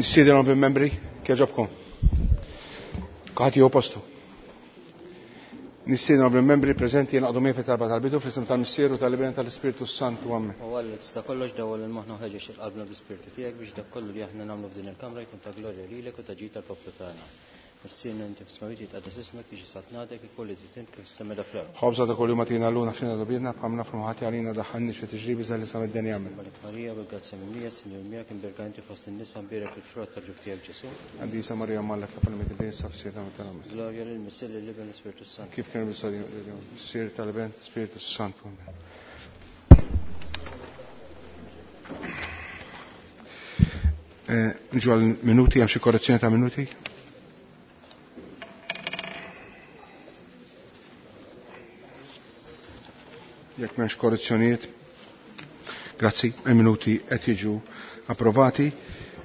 Nistieden membri kieġobkom. Kulħadd jieħu postu. Nistieden membri preżenti jenaqdu miegħi fit-talba tal-bidu fl-isem tal-Missier u tal-Iben tal-Ispirtu Santu. Amen. U Alla tista' kollox dawwal il-moħħna u ħeġġeġ il-qalbna bl-Ispirtu tiegħek biex dak kollu li aħna nagħmlu f'din il-kamra jkun ta' glorja lilek u ta' ġid tal-poplu tagħna. Missierna inti fis-smawwiet jitqaddes ismek biex saltnatek ikun li trid int kif fis-sema fl-art. Ħobża ta' kuljum agħtina llum aħfrilna dnubietna bħalma nafu ħati għalina daħħalniex fi tiġrib iżda ħlisna mid-deni. Amen. Malek Marija bil-grazzja mimlija, Sinjur miegħek imbierka inti fost in-nisa mbierek il-frott tal-ġuf tiegħek Ġesù. Qaddisa Marija Omm Alla itlob għalina midinbin issa fis-siegħa ta' mewtna. Amen. Glorja lil Missier lill-Iben l-Ispirtu Santu. Kif kien Missier tal-Iben, Spiritu Santu. Amen. Niġu għal minuti, hemm xi korrezzjoni ta' minuti? Jekk m'hemmx korrezzjonijiet, grazzi, il-minuti qed jiġu approvati.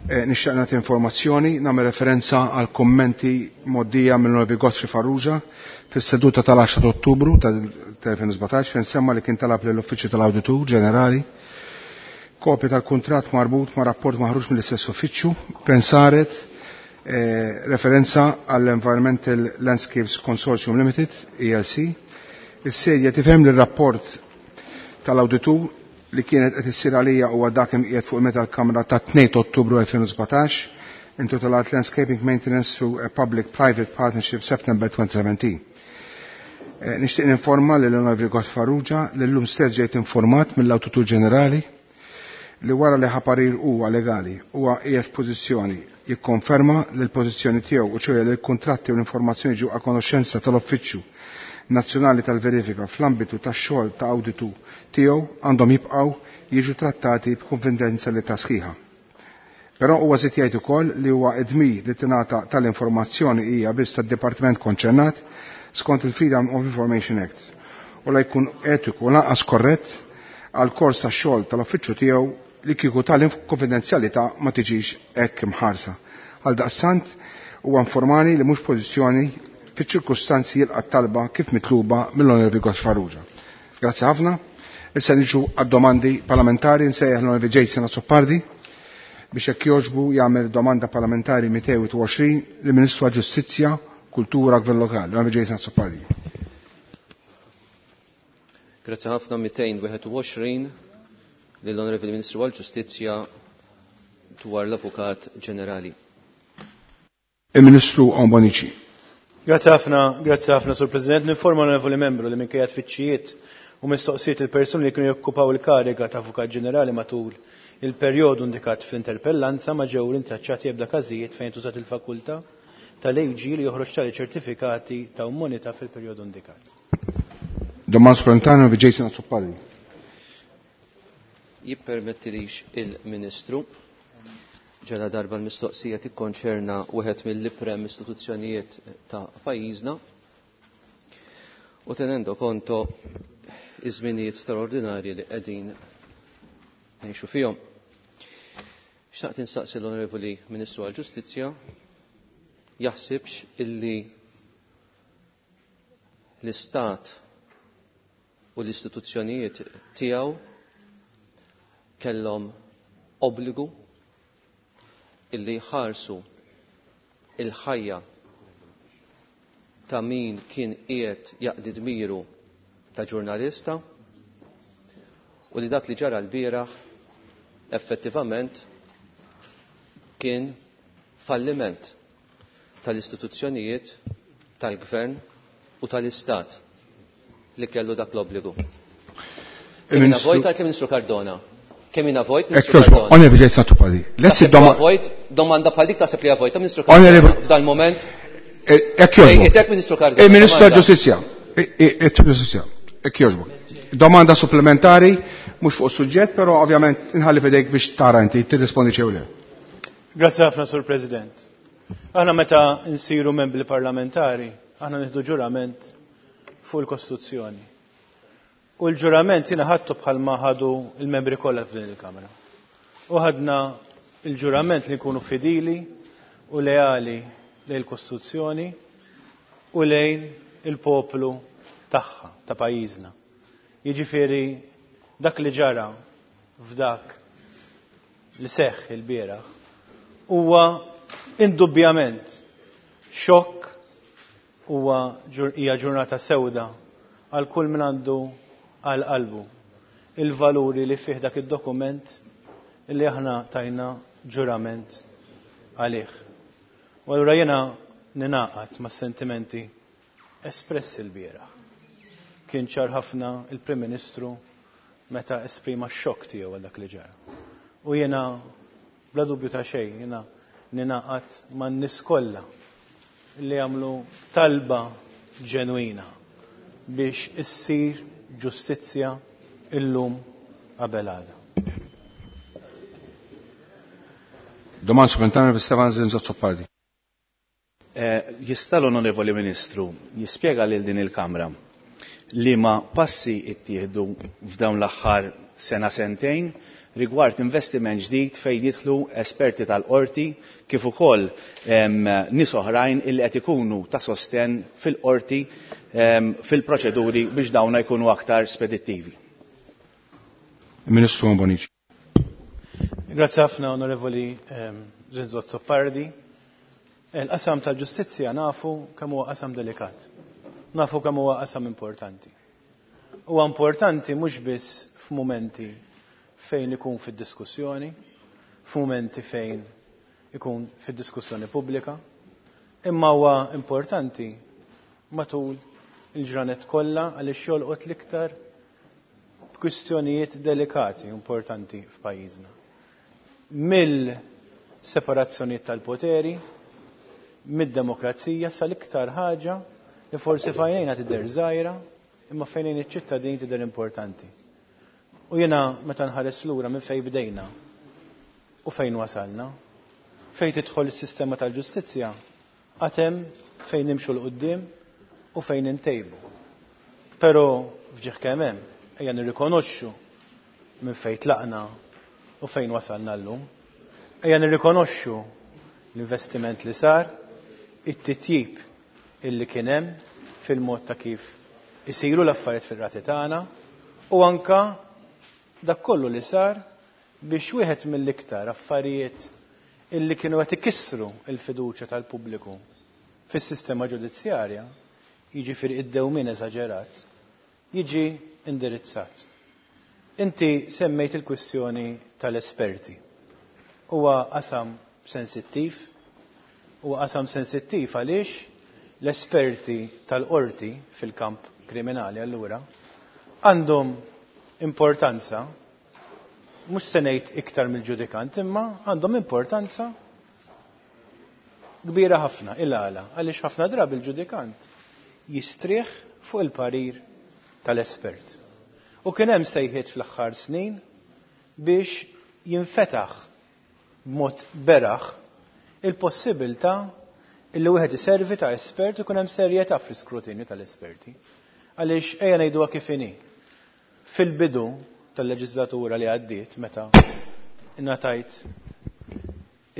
Nixtieq nagħti informazzjoni, nagħmel referenza għal kummenti mgħoddija mill-Onorevoli Godfrey Farrugia fis-seduta tal-10 ta' Ottubru tal-2017 fejn semma li kien talab lill-Uffiċċju tal-Awditur Ġenerali kopja tal-kuntratt marbut ma' rapport maħruġ mill-istess uffiċċju fejn saret referenza għall-Environmental Landscapes Consortium Limited, ELC. Is-sedja tifhem li r-rapport tal-awditur li kienet qed issir għalija huwa dak imqiegħed fuq il-meta l-Kamra ta' 2 Ottubru 2017 intitolat Landscaping Maintenance through a Public-Private Partnership September 2017. Nixtieq ninforma lil Onorevoli Godfrey Farrugia li llum stess ġejt informat mill-Awditur Ġenerali li wara li ħa parir huwa legali huwa qiegħed f'pożizzjoni jikkonferma li l-pożizzjoni tiegħu u ċoħe li l-kuntratti u l-informazzjoni ġew a konoxxenza tal-Uffiċċju Nazzjonali tal-Verifika fl-ambitu tax-xogħol ta' awditu tiegħu għandhom jibqgħu jiġu trattati b'konfidenzjalità sħiħa. Però huwa żied jgħid ukoll li huwa d-dmir li tingħata tal-informazzjoni hija biss tad-dipartiment konċernat skont il-Freedom of Information Act u la jkun etiku lanqas korrett għal kors tax-xogħol tal-uffiċċju tiegħu li kieku tal-konfidenzjalità ma tiġix hekk imħarsa. Għal daqstant huwa informani li mhux pożizzjoni fiċ-ċirkustanzi jilqa' talba kif mitluba mill-Onorevoli Godfrey Farrugia. Grazzi ħafna. Issa niġu għad-domandi parlamentari nsejjaħ l-Onorevoli Jason Azzopardi biex hekk jogħġbu jagħmel domanda parlamentari 220 lill-Ministru għall-Ġustizzja, Kultura u Gvern Lokali. L-Onorevoli Jason Azzopardi. Grazzi ħafna 221 lill-Onorevoli Ministru għall-Ġustizzja dwar l-Avukat Ġenerali. Il-Ministru Owen Bonnici. Grazzi ħafna, grazzi ħafna, Sur President. Ninforma l-Onorevoli Membru li minkejja tfittxijiet u mistoqsijiet il-persuni li kienu jokkupaw il-kariga ta' Avukat Ġenerali matul il-perjodu indikat fl-interpellanza ma ġew rintraċċati ebda każijiet fejn tużat il-fakultà tal-AG li joħroġ tali ċertifikati ta' immunità fil-perjodu indikat. Domanda supplementari bi Jason Azzopardi. Jippermettilix il-Ministru ġala darba l-mistoqsija tikkonċerna wieħed mill-iprem istituzzjonijiet ta' pajjiżna u tenendo konto iż-żminijiet straordinarji li qegħdin ngħixu fihom. Xtaqt insaqsi l-Onorevoli Ministru għall-Ġustizzja jaħsibx illi l-Istat u l-istituzzjonijiet tiegħu kellhom obbligu illi jħarsu il-ħajja ta' min kien qiegħed jaqdi dmiru ta' ġurnalista u li dak li ġara l-bieraħ effettivament kien falliment tal-istituzzjonijiet tal-gvern u tal-istat li kellu dak l-obbligu. Kemm jiena vojt għalt il-Ministru Cardona. Kemm jiena vojt, Ministru Cardona. Onorevoli Jason Azzopardi, lessi Taħseb li vojt, domanda bħal dik taħseb li vojt, Ministru Cardona, f'dan il-moment. Hekk jogħġbok. Ejtek, Ministru Cardona. Il-Ministru tal-Ġustizzja. Ġustizzja. Hekk jogħġbok. Domanda supplementari, mhux fuq suġġett, però ovvjament inħalli f'idejk biex tara inti tirrispondi xew le. Grazzi ħafna, Sur President. Aħna meta nsiru membri parlamentari, aħna nieħdu ġurament fuq il-Kostituzzjoni. U l-ġurament jiena ħadtu bħalma ħadu il-membri kollha f'din il-Kamra. U ħadna il-ġurament li nkunu fidili u leali lejn il-Kostituzzjoni u lejn il-poplu tagħha ta' pajjiżna. Jiġifieri dak li ġara f'dak li seħħ il-bieraħ Huwa indubbjament xokk, huwa hija ġurnata sewda għal kull min għandu għal qalbu il-valuri li fih dak id-dokument li aħna tajna ġurament għalih. U allura jiena ninaqat mas-sentimenti espressi l-bieraħ. Kien ċar ħafna il-Prim Ministru meta esprima x-xokk tiegħu għal dak li ġara. U jiena bla dubju ta' xejn jiena ninaqat man-nies kollha li għamlu talba ġenwina biex issir ġustizzja illum qabel għada. Domanda supplementari Stefan Zrinzo Azzopardi. Jista' l-Onorevoli Ministru jispjega lil din il-Kamra liema passi ttieħdu f'dawn l-aħħar sena sentejn rigward investiment ġdid fejn jidħlu esperti tal-qorti kif ukoll nies oħrajn illi qed ikunu ta' sostenn fil-qorti fil-proċeduri biex dawna jkunu aktar spedittivi. Ministru Bonnici. Grazie ħafna, Onorevoli Zrinzo Azzopardi. Il-qasam tal-ġustizzja nafu kemm huwa qasam delikat. Nafu kemm huwa qasam importanti. Huwa importanti mhux biss f'mumenti fejn ikun fid-diskussjoni, f'mumenti fejn ikun fid-diskussjoni pubblika, imma huwa importanti matul il-ġranet kollha għaliex jolqot l-iktar kwistjonijiet delikati importanti f'pajjiżna. Mill-separazzjonijiet tal-poteri, mid-demokrazija sal-iktar ħaġa li forsi fajnejna tidher żgħira, imma fejnejn iċ-ċittadin tidher importanti. U jiena meta nħares lura minn fejn bdejna u fejn wasalna, fejn tidħol is-sistema tal-ġustizzja, għad hemm fejn nimxu 'l quddiem u fejn intejbu. Però fġieħ kemm hemm, ejja nirrikonoxxu minn fejn tlaqna u fejn wasalna llum. Ejja nirrikonoxxu l-investiment li sar, it-titjib illi kien hemm fil-mod ta' kif isiru l-affarijiet fir-rati tagħna u anka dak kollu li sar biex wieħed mill-iktar affarijiet illi kienu qed ikissru l-fiduċja tal-pubbliku fis-sistema ġudizzjarja, jiġifieri id-dewmien eżaġerat, jiġi indirizzat. Inti semmejt il-kwistjoni tal-esperti. Huwa qasam sensittiv, huwa qasam sensittiv għaliex l-esperti tal-qorti fil-kamp kriminali allura għandhom importanza, mhux se ngħid iktar mill-ġudikant, imma għandhom importanza kbira ħafna il-għala, għaliex ħafna drabi il-ġudikant jistrieħ fuq il-parir tal-espert. U kien hemm sejħiet fl-aħħar snin biex jinfetaħ b'mod beraħ il-possibilità illi wieħed iservi ta' espert u jkun hemm serjetà fl-iskrutinju tal-esperti. Għaliex ejja ngħiduha kif inhi. Fil-bidu tal-leġislatura li għaddiet meta ingħatajt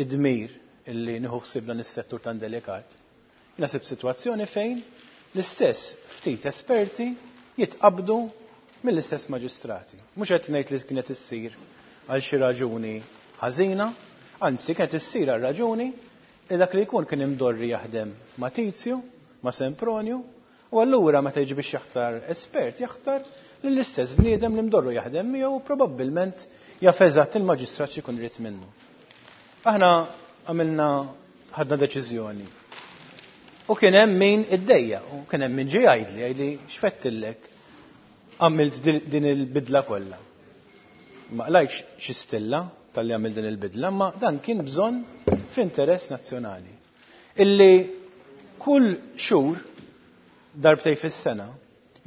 id-dmir illi nieħu ħsieb dan is-settur tan delikat, jiena sibt sitwazzjoni fejn l-istess ftit esperti jitqabdu mill-istess maġistrati. Mhux qed ngħid li kienet issir għal xi raġuni ħażina, anzi kienet issir għal raġuni li dak li jkun kien imdorri jaħdem ma' Tizju, ma' Sempronju, u allura meta jiġi biex jaħtar espert jaħtar lill-istess bniedem li mdorru jaħdem miegħu u probabbilment jaf eżatt il-maġistrat x'ikun irid minnu. Aħna ħadna deċiżjoni. U kien hemm min iddejja, u kien hemm min ġie jgħidli, jgħidli x'fettillek għamilt din il-bidla kollha. Ma qlajtx xi stilla tal-li għamil din il-bidla, ma dan kien bżonn f'interess nazzjonali. Illi kull xhur darbtej fis-sena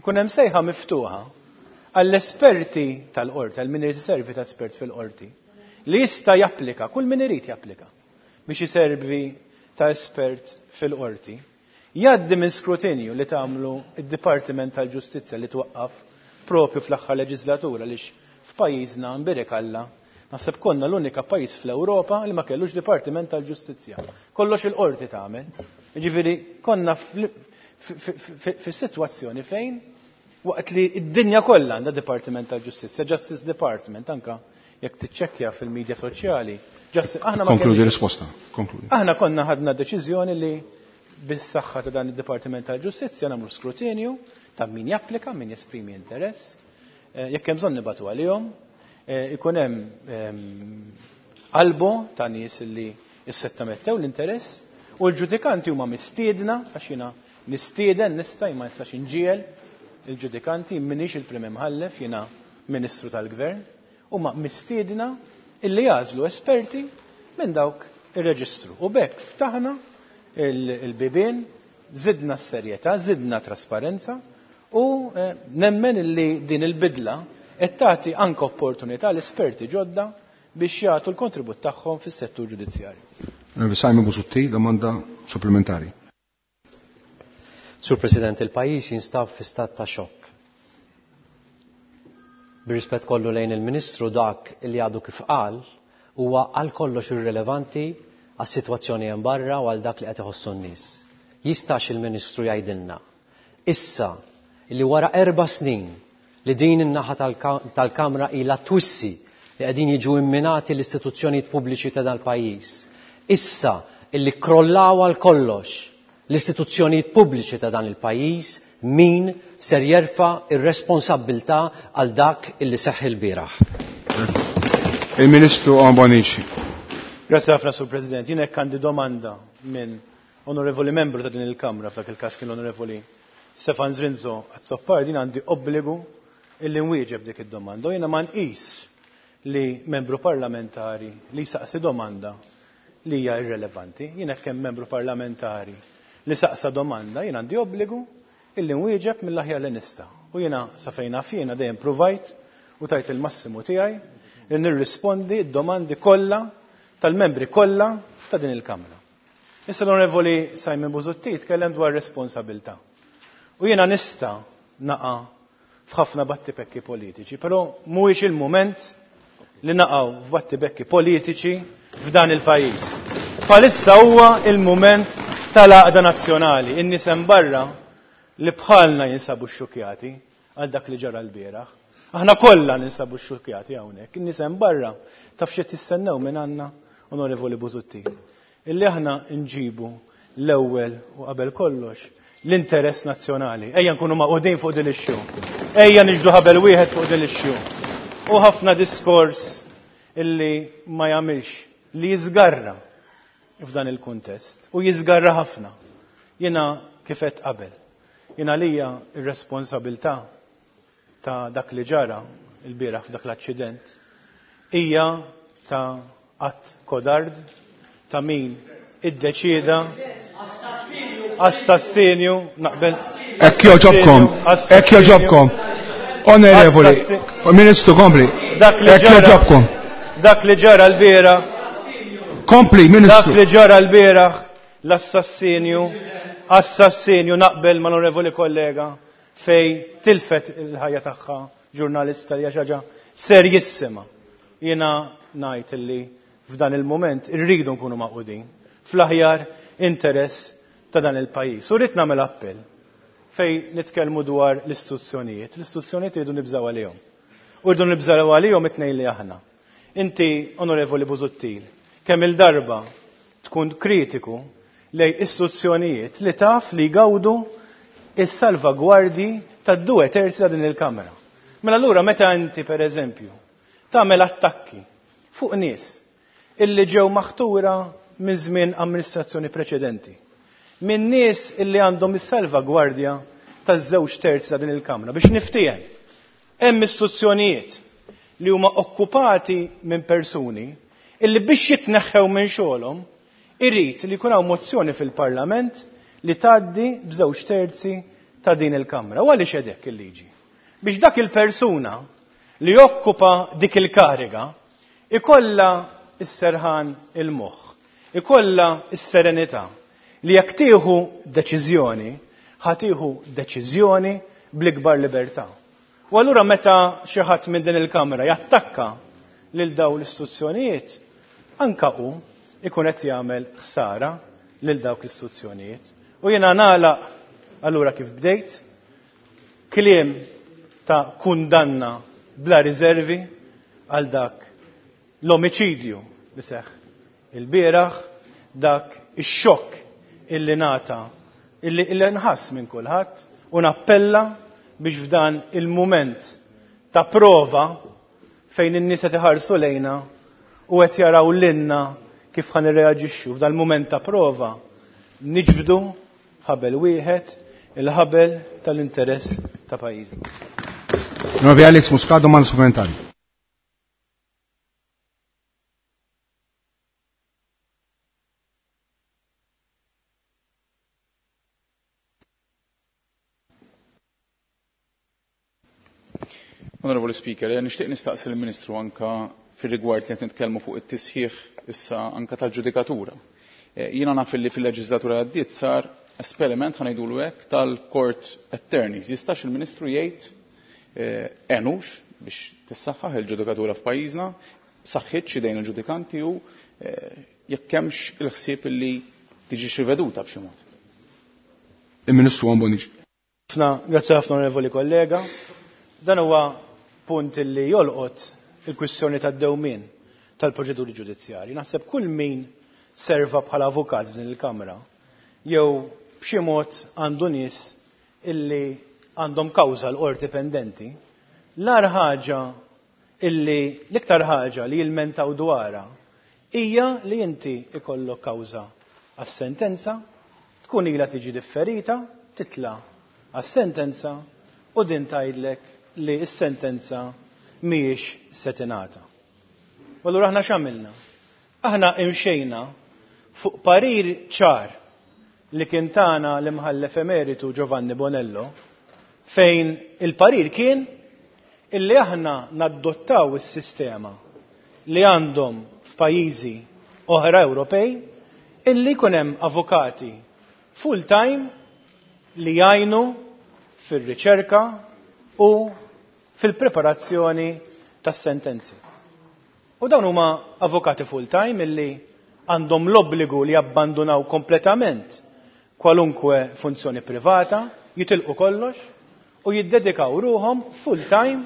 ikun hemm sejħa miftuħa għall-esperti tal-qorti, għal min irid iservi ta' espert fil-qorti, li jista' japplika, kull min irid japplika biex iservi ta' espert fil-qorti, jgħaddi minn skrutinju li tagħmlu id-Dipartiment tal-Ġustizzja li twaqqaf propju fl-aħħar leġislatura lix f'pajjiżna nbierek Alla naħseb konna l-unika pajjiż fl-Ewropa li ma kellux Dipartiment tal-Ġustizzja. Kollox il-qorti tagħmel. Jiġifieri konna fis-sitwazzjoni fejn waqt li d-dinja kollha għandha Dipartiment tal-Ġustizzja, Justice Department, anka Jekk tiċċekkja fil-medja soċjali, aħna ma Konkludi risposta. Konkludi. Aħna konna ħadna deċiżjoni li bis-saħħa ta' dan id-Dipartiment tal-Ġustizzja nagħmlu skrutinju ta' min japplika, min jesprimi interess, jekk hemm bżonn nibatu għalihom, ikun hemm albo ta' nies li issottomettew l-interess u l-ġudikanti huma mistiedna, għax jiena nistieden nista' ma nistax inġiegħel il-ġudikanti, m'iniex il-Prim Imħallef, jiena Ministru tal-Gvern, huma mistiedna illi jagħżlu esperti minn dawk ir-reġistru. U b'hekk ftaħna il-bibien, zidna s-serjetà, zidna trasparenza u nemmen illi din il-bidla qed tagħti anke opportunità l-esperti ġodda biex jagħtu l-kontribut tagħhom fis-settur ġudizzjarju. Simon Busuttil, domanda supplementari. Sur President, il-pajjiż jinstab fi stat ta' xokk. Bir-rispett kollu lejn il-Ministru, dak li għadu kif qal huwa għal kollox irrilevanti għas-sitwazzjoni hemm barra u għal dak li qed iħossu n-nies. Jistax il-Ministru jgħidilna issa li wara 4 snin li din in-naħa tal-Kamra ilha twissi li qegħdin jiġu imminati l-istituzzjonijiet pubbliċi ta' dal-pajjiż, issa illi krollaw għal kollox l-istituzzjonijiet pubbliċi ta' dan il-pajjiż, min ser jerfa' ir-responsabbiltà għal dak illi seħħ il-bieraħ? Il-Ministru Owen Bonnici. Grazie ħafna, Sur President. Jien hekk għandi domanda minn onorevoli membru ta' din il-Kamra, f'dak il-każ kien l-Onorevoli Stefan Zrinzo Azzopardi, jien għandi obbligu illi nwieġeb dik id-domanda. U jiena ma nqis li membru parlamentari li saqsi domanda li hija irrelevanti. Jien hekk hemm membru parlamentari li saqsa domanda, jien għandi obbligu illi nwieġeb mill-aħjar li nista'. U jiena sa fejn naf jiena dejjem provajt u tajt il-massimu tiegħi li nirrispondi d-domandi kollha tal-membri kollha ta' din il-Kamra. Issa l-Onorevoli Simon Busuttil tkellem dwar responsabilità. U jiena nista' naqa' f'ħafna battibekki politiċi, però mhuwiex il-mument li naqgħu f'battibekki politiċi f'dan il-pajjiż. Bħalissa huwa il-mument tal-għaqda nazzjonali. In-nies hemm barra li bħalna jinsabu xxukjati għal dak li ġara l-bieraħ. Aħna kollha ninsabu xxukjati hawnhekk. In-nies hemm barra taf x'qed jistennew minn għandna, Onorevoli Busuttil, illi aħna nġibu l-ewwel u qabel kollox l-interess nazzjonali. Ejja nkunu maqudin fuq din ix-xu. Ejja niġdu ħabel wieħed fuq din ix-xu. U ħafna diskors illi ma jagħmilx li jiżgarra f'dan il-kuntest u jiżgarra ħafna. Jiena kif għedt qabel. Jiena lija ir-responsabilità ta' dak li ġara il-bieraħ f'dak l-aċċident hija ta' att kodard ta' min iddeċieda assassinju naqbel. Hekk joġobkom, hekk joġobkom. Onorevoli, Ministru, kompli. Dak li Hekk ġara joġobkom. Dak li ġara l-bieraħ. Kompli, Ministru. Dak li ġara l-bieraħ, l-assassinju, assassinju naqbel ma' l-onorevoli kollega fej tilfet il-ħajja tagħha ġurnalista li hija xi ħaġa serjissima. Jiena ngħid illi f'dan il-mument irridu nkunu maqudin fl-aħjar interess ta' dan il-pajjiż. U rrid nagħmel appell fej nitkellmu dwar l-istituzzjonijiet. L-istituzzjonijiet irridu nibżgħu għalihom. U rridu nibżgħu għalihom it-tnejn li aħna. Inti, Onorevoli Busuttil, kemm il-darba tkun kritiku lej istituzzjonijiet li taf li jgawdu is-salvagwardji tad-due terzi ta' din il-Kamra. Mela allura meta inti, per eżempju, tagħmel attakki fuq nies illi ġew maħtura minn żmien amministrazzjoni preċedenti, minn nies illi għandhom is-salvagwardja taż-żewġ terzi ta' din il-Kamra, biex niftiehem, hemm istituzzjonijiet li huma okkupati minn persuni illi biex jitneħħew minn xogħolhom irid li jkun hawn mozzjoni fil-Parlament li tgħaddi b'żewġ terzi ta' din il-Kamra. U għaliex hekk il-liġi? Biex dak il-persuna li jokkupa dik il-kariga ikolla s-serħan il-moħħ, ikolla s-serenità li jekk tieħu deċiżjoni, ħa tieħu deċiżjoni bl-ikbar libertà. U allura meta xi ħadd minn din il-Kamra jattakka lil dawn l-istituzzjonijiet, anka hu ikun qed jagħmel ħsara lil dawk l-istituzzjonijiet. U jiena nagħlaq allura kif bdejt, kliem ta' kundanna bla riservi għal dak l-omiċidju li seħħ ilbieraħ, dak ix-xokk illi ngħata illi illi nħass minn kulħadd u nappella biex f'dan il-mument ta' prova fejn in-nies qed iħarsu lejna u qed jaraw lilna kif ħa nirreaġixxu f'dan il-mument ta' prova niġbdu ħabel wieħed, il-ħabel tal-interess ta' pajjiżna. Onorevoli Alex Muscat, domanda supplementari. Onorevoli Speaker, nixtieq nistaqsi l-Ministru anka fir-rigward li qed nitkellmu fuq it-tisħiħ issa anka tal-ġudikatura. Jiena naf li fil-leġislatura għaddiet sar esperiment, ħa ngħidulu hekk, tal-court attorneys. Jistax il-Ministru jgħid enux biex tissaħħaħ il-ġudikatura f'pajjiżna, saħħitx idejn il-ġudikanti u jekk hemmx il-ħsieb li tiġi riveduta b'xi mod. Il-Ministru Owen Bonnici. Grazzi ħafna, onorevoli kollega. Dan huwa punt li jolqot il-kwistjoni tad-dewmien tal-proċeduri ġudizzjarji. Naħseb kull min serva bħala avukat f'din il-Kamra jew b'xi mod għandu nies illi għandhom kawża l-qorti pendenti, l-ar ħaġa illi l-iktar ħaġa li jilmentaw dwarha hija li inti ikollok kawża għas-sentenza, tkun ilha tiġi differita, titla' għas-sentenza u din tgħidlek li s-sentenza mhijiex se tingħata. U allura aħna x'għamilna? Aħna imxejna fuq parir ċar li kien tana l-imħallef emeritu Giovanni Bonello, fejn il-parir kien illi aħna naddottaw is-sistema li għandhom f'pajjiżi oħra Ewropej illi jkun hemm avukati full-time li jgħinu fir-riċerka u fil-preparazzjoni tas-sentenzi. U dawn huma avukati full-time illi għandhom l-obbligu li jabbandunaw kompletament kwalunkwe funzjoni privata, jitilqu kollox u jiddedikaw ruhom full-time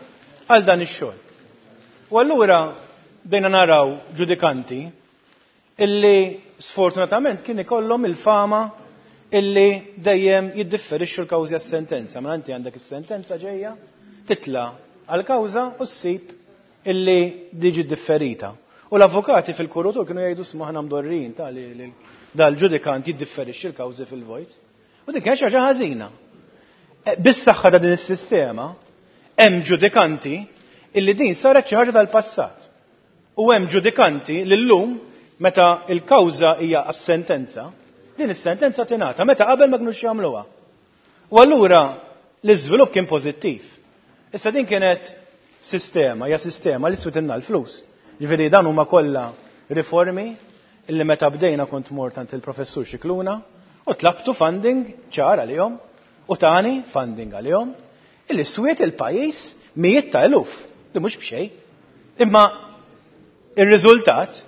għal dan ix-xogħol. U allura bdejna naraw ġudikanti illi sfortunatament kien ikollhom il-fama illi dejjem jiddifferixxu l-kawżi għas-sentenza. Mela inti għandek is-sentenza ġejja, titla' għall-kawża u ssib illi diġi differita. U l-avukati fil-kurutur kienu jgħidu sma aħna mdorrin ta' li dal-ġudikant jiddifferixxi l-kawżi fil-vojt. U din kienet xi ħaġa ħażina. Bis-saħħa ta' din is-sistema hemm ġudikanti illi din saret xi ħaġa tal-passat. U hemm ġudikanti li llum meta l-kawża hija għas-sentenza, din is-sentenza tingħata meta qabel ma kinux jagħmluha. U allura l-iżvilupp kien pożittiv. Issa din kienet sistema, hija sistema li switilna l-flus. Ġifieri dan huma kollha riformi illi meta bdejna kont mort għand il-professur Scicluna u tlabtu funding ċar għalihom u tani funding għalihom illi swiet il-pajjiż mijiet ta' eluf, li mhux b'xejn. Imma ir-riżultat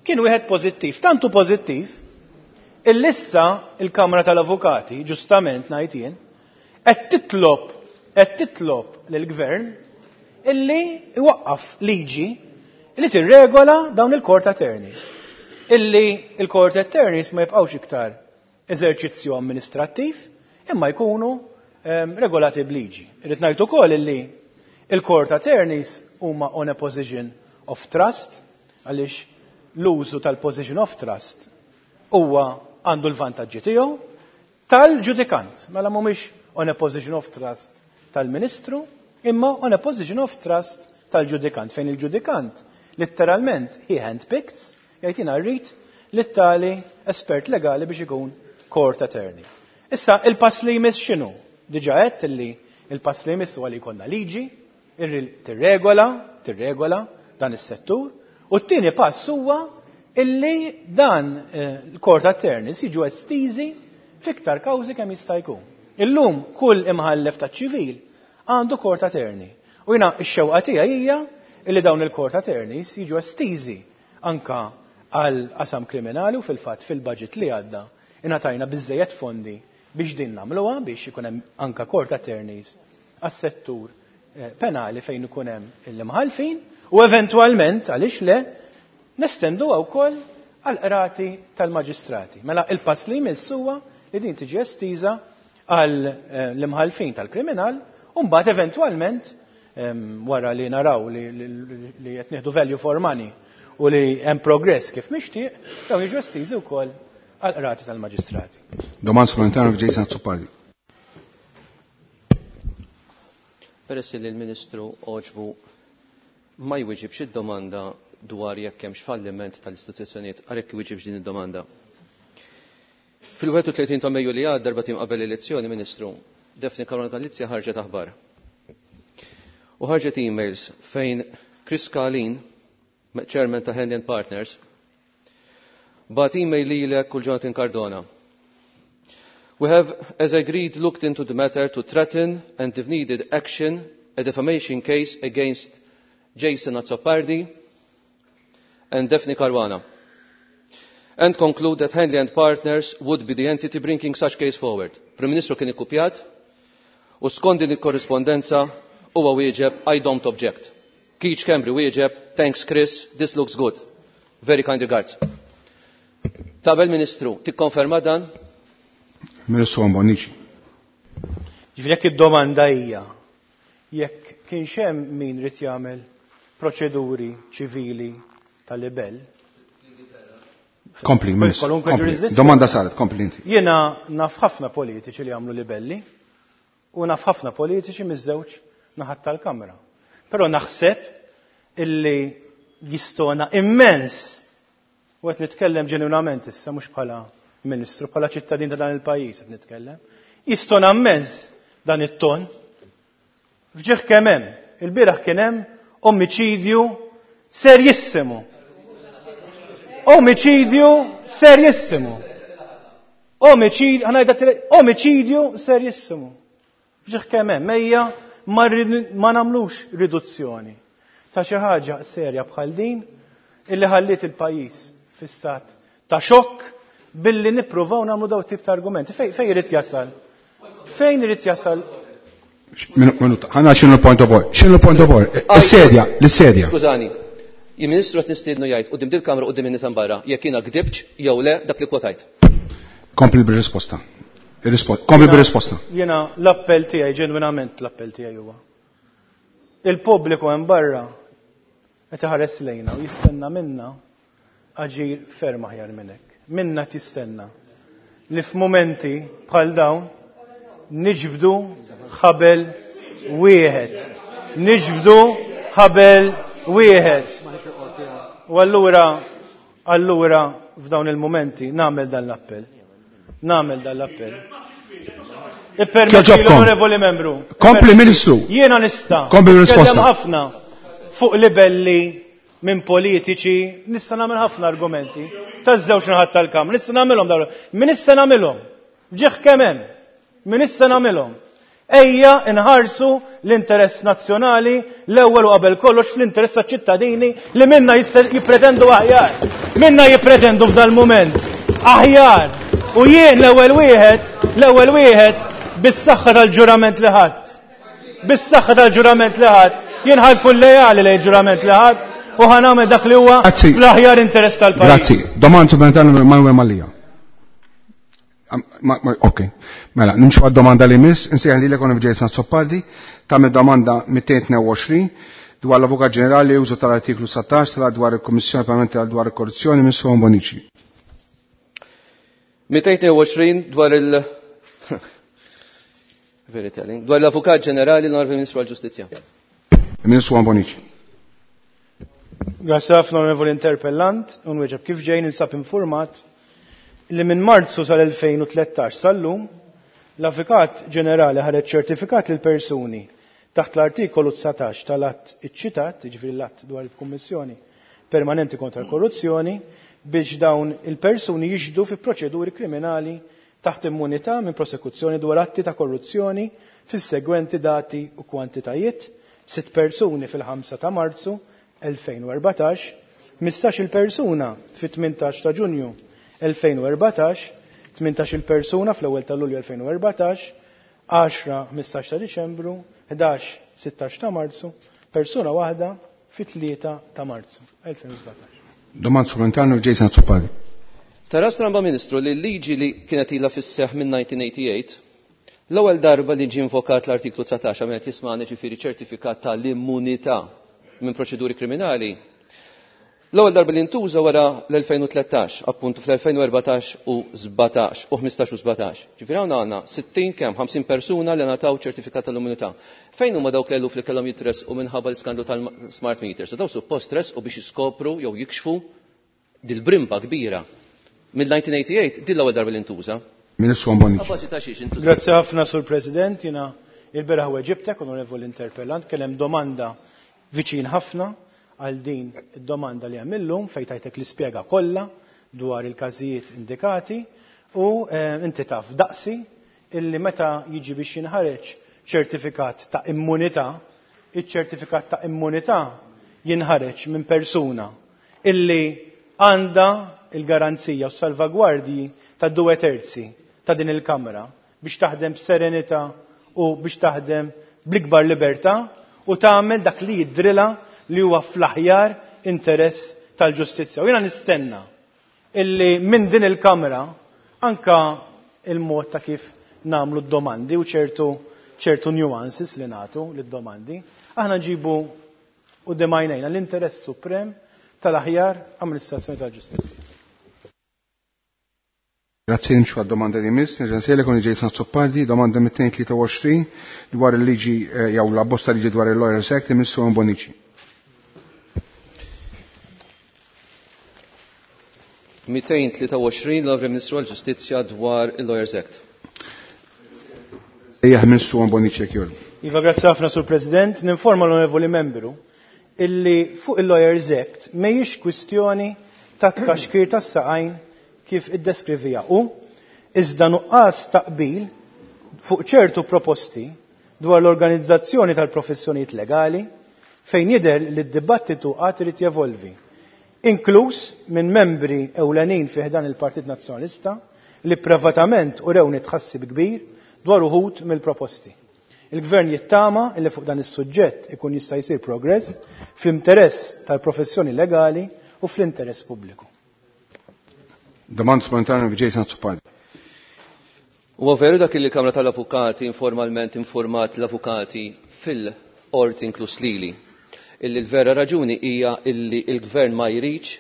kien wieħed pożittiv, tantu pożittiv illi issa il-Kamra tal-Avukati, ġustament ngħid jien, qed titlob lill-Gvern illi iwaqqaf liġi li tirregola dawn il-court attorneys. Illi il-court attorneys ma jibqgħux iktar eżerċizzju amministrattiv, imma jkunu regolati b'liġi. Irrid ngħid ukoll illi il-court attorneys huma on a position of trust, għaliex l-użu tal-position of trust huwa għandu l-vantaġġi tiegħu tal-ġudikant. Mela mhumiex on a position of trust tal-ministru, imma on a position of trust tal-ġudikant, fejn il-ġudikant letteralment he handpicks, jgħid jiena rrid lit-tali espert legali biex ikun court attorney. Issa il-pass li jmiss x'inhu? Diġà għedt illi il-pass li jmiss huwa li jkollna liġi tirregola dan is-settur, u t-tieni pass huwa illi dan il-court attorneys jiġu estiżi fiktar kawżi kemm jista' jkun. Illum kull imħallef taċ-ċivil għandu court attorney. U jiena x-xewqa tiegħi hija illi dawn il-court attorneys jiġu estiżi anka għal qasam kriminali, u fil-fatt fil-budget li għadda ingħatajna biżżejjed fondi biex din nagħmluha biex ikun hemm anka court attorneys għas-settur penali fejn ikun hemm l-imħallfin, u eventwalment għaliex le Nestenduha wkoll għall-qrati tal-maġistrati. Mela il-pass li jmiss huwa li din tiġi estiża għal l-imħallfin tal-kriminal u mbagħad eventwalment wara li naraw li qed nieħdu value for money u li hemm progress kif mixtieq, dawn jiġu estiżi wkoll għall-qrati tal-maġistrati. Domanda supplementari Jason Azzopardi. Peress li l-Ministru għoġbu ma jwiġibx id-domanda dwar jekk hemmx falliment tal-istituzzjonijiet, għalhekk jwiġibx din id-domanda. Fil-31 ta' Mejju li għadda darba tim qabel elezzjoni, Ministru, Daphne Caruana Galizia ħarġet aħbar. U ħarġet emails fejn Chris Kalin, chairman ta' Henley and Partners, bat email lilek u Jonathan Cardona. We have, as agreed, looked into the matter to threaten and, if needed, action a defamation case against Jason Azzopardi and Daphne Caruana, and conclude that Henley and Partners would be the entity bringing such case forward. Prim Ministru kien ikkupjat u skont din il-korrispondenza huwa wieġeb I don't object. Keith Schembri wieġeb thanks Chris, this looks good. Very kind regards. Tabel Ministru, tikkonferma dan? Ministru Bonnici. Ġifieri jekk id-domanda hija jekk kienx hemm min rid jagħmel proċeduri ċivili tal-libell. Kompli, Ministru. Kwalunkwe Kompli. ġurisdizzjoni. Domanda saret, kompli inti. Jiena naf ħafna politiċi li jagħmlu libelli u naf ħafna politiċi miż-żewġ naħat tal-Kamra. Però naħseb illi jistona immens u qed nitkellem ġenwinament issa mhux bħala Ministru, bħala ċittadin ta' dan il-pajjiż qed nitkellem. Jistona immens dan it-ton. Fġieħ kemm hemm, il-bieraħ kien hemm omiċidju serjissimu. Omiċidju serjissimu. Omiċidju serjissimu. Fġieħ kemm hemm, ejja ma nagħmlux riduzzjoni ta' xi ħaġa serja bħal din illi ħalliet il-pajjiż fi stat ta' xokk billi nippruvaw nagħmlu daw tip ta' argumenti. Fejn irid jasal? Fejn irid jasal? Minuta, ħana x'inhu l-point of order? X'inhu l-point of order? Is-sedja, l-sedja. Skużani, il-Ministru qed nistiednu jgħid quddiem dil-Kamra quddiem in-nies barra jekk jiena gdibx jew le dak li kwotajt. Kompli bir-risposta. Kompli bir-risposta. Jiena l-appell tiegħi, ġenwinament l-appell tiegħi huwa. Il-pubbliku hemm barra qed iħares lejna u jistenna minna aġir ferm aħjar minn hekk. Minna tistenna li f'mumenti bħal dawn niġbdu ħabel wieħed. Niġbdu ħabel wieħed. U allura f'dawn il-mumenti nagħmel dan l-appell. Nagħmel dan l-appell. Ippermetti l-onorevoli membru. Kompli Ministru. Jiena nista' Kompli risposta. Nitkellem ħafna fuq libelli minn politiċi, nista' nagħmel ħafna argumenti taż-żewġ naħat tal-Kamra, nista' nagħmilhom dawn. Min issa nagħmilhom? Ġieħ kemm hemm. Min issa nagħmilhom? Ejja nħarsu l-interess nazzjonali l-ewwel u qabel kollox fl-interess taċ-ċittadini li minna jippretendu aħjar. Minna jippretendu f'dal-mument aħjar. U jien l-ewwel wieħed bis-saħħa tal-ġurament li ħadd. Bis-saħħa tal-ġurament li ħadd. Jien ħankun lejali lejn ġurament li ħadd u ħanagħmel dak li huwa fl-aħjar interess tal-pajjiż. Grazzi. Domanda supplementari Manuel Mallia. Ok. Mela, nimxu għad-domanda li miss, insejħ lilek Onorevoli Jason Azzopardi, tagħmel domanda 222 dwar l-Avukat Ġenerali użu tal-artiklu 17 tal dwar il-Kummissjoni Parlamentari dwar il-Korruzzjoni Ministru Bonnici. 222 dwar il- Very telling. Dwar l-Avukat Ġenerali l-Onorevoli Ministru għall-Ġustizzja. Ministru Bonnici. Grazie ħafna Onorevoli Interpellant, unweġeb kif ġejn insab informat li minn Marzu sal-2013 sal-lum l-Avukat Ġenerali ħareġ ċertifikat lil persuni taħt l-artikolu 19 tal-att iċċitat, jiġifieri l-att dwar il-Kummissjoni Permanenti kontra l-Korruzzjoni, biex dawn il-persuni jixhdu fi proċeduri kriminali taħt immunità minn prosekuzzjoni dwar atti ta' korruzzjoni fis-segwenti dati u kwantitajiet, 6 persuni fil-5 ta' Marzu 2014, 15-il persuna fit-18 ta' Ġunju 2014, 18-il persuna fl-ewwel ta' Lulju 2014, 10 15 ta' Diċembru, 11 16 ta' Marzu, persuna waħda fit-3 ta' Marzu 2017. Domanda supplementari Jason Azzopardi. Tara stramba, Ministru, li l-liġi li kienet ilha fis-seħħ minn 1988, l-ewwel darba li ġie invokat l-artiklu 19 għamel jismani, ġifieri ċertifikat tal-immunità minn proċeduri kriminali, l-ewwel darba li ntuża wara l-2013, appuntu fl-2014 u 17 u 15 u 17. Ġifieri hawn għandna 60 kemm 50 persuna li ngħataw ċertifikat tal-immunità. Fejn huma dawk l-eluf li kellhom jitresqu minħabba l-iskandlu tal-smart meters? Daw suppost resqu biex jiskopru jew jikxfu dil-brimba kbira. Mill-1988 din l-ewwel darba li ntuża. Ministru Bonnici. Abbażi ta' xiex intuża? Grazzi ħafna, Sur President. Jiena il-bieraħ weġibtek, onorevoli interpellant, kien hemm domanda viċin ħafna għal din id-domanda li hemm illum fejn tajtek l-ispjega kollha dwar il-każijiet indikati u inti taf daqsi illi meta jiġi biex jinħareġ ċertifikat ta' immunità, iċ-ċertifikat ta' immunità jinħareġ minn persuna illi għandha il-garanzija u salvagwardji ta' 2/3 ta' din il-Kamra biex taħdem b'serenità u biex taħdem bl-ikbar libertà u tagħmel dak li jidrilha li huwa fl-aħjar interess tal-ġustizzja. U jiena nistenna illi minn din il-Kamra anka il-mod ta' kif nagħmlu d-domandi u ċertu nuances li nagħtu lid-domandi, aħna nġibu u demajnejna l-interess suprem tal-aħjar amministrazzjoni tal-ġustizzja. Grazie, nimxu għad-domanda li miss, nerġa' nsejlek con Jason Azzopardi, domanda 223 dwar il-liġi jew la bosta liġi dwar il-Lawyers Act, il-Ministru Bonnici. 223 l-Onorevoli Ministru għall-Ġustizzja dwar il-Lawyers Act. Ejja, Ministru Bonnici, jekk jogħġbu. Iva, grazzi ħafna, Sur President. Ninforma l-Onorevoli Membru illi fuq il-Lawyers Act mhijiex kwistjoni ta' tkaxkir tas-saqajn kif iddeskrivija u iżda nuqqas taqbil fuq ċertu proposti dwar l-organizzazzjoni tal-professjonijiet legali fejn jidher li d-dibattitu għad irid jevolvi, inkluż minn membri ewlenin fi ħdan il-Partit Nazzjonalista li privatament urewni tħassib kbir dwar uħud mill-proposti. Il-Gvern jittama li fuq dan is-suġġett ikun jista' jsir progress fl-interess tal-professjoni legali u fl-interess pubbliku. Domanda supplementari Jason Azzopardi. Huwa veru dak li l-Kamra tal-Avukati informalment informat l-avukati fil-qorti inkluż lili illi l-vera raġuni hija illi l-Gvern ma jridx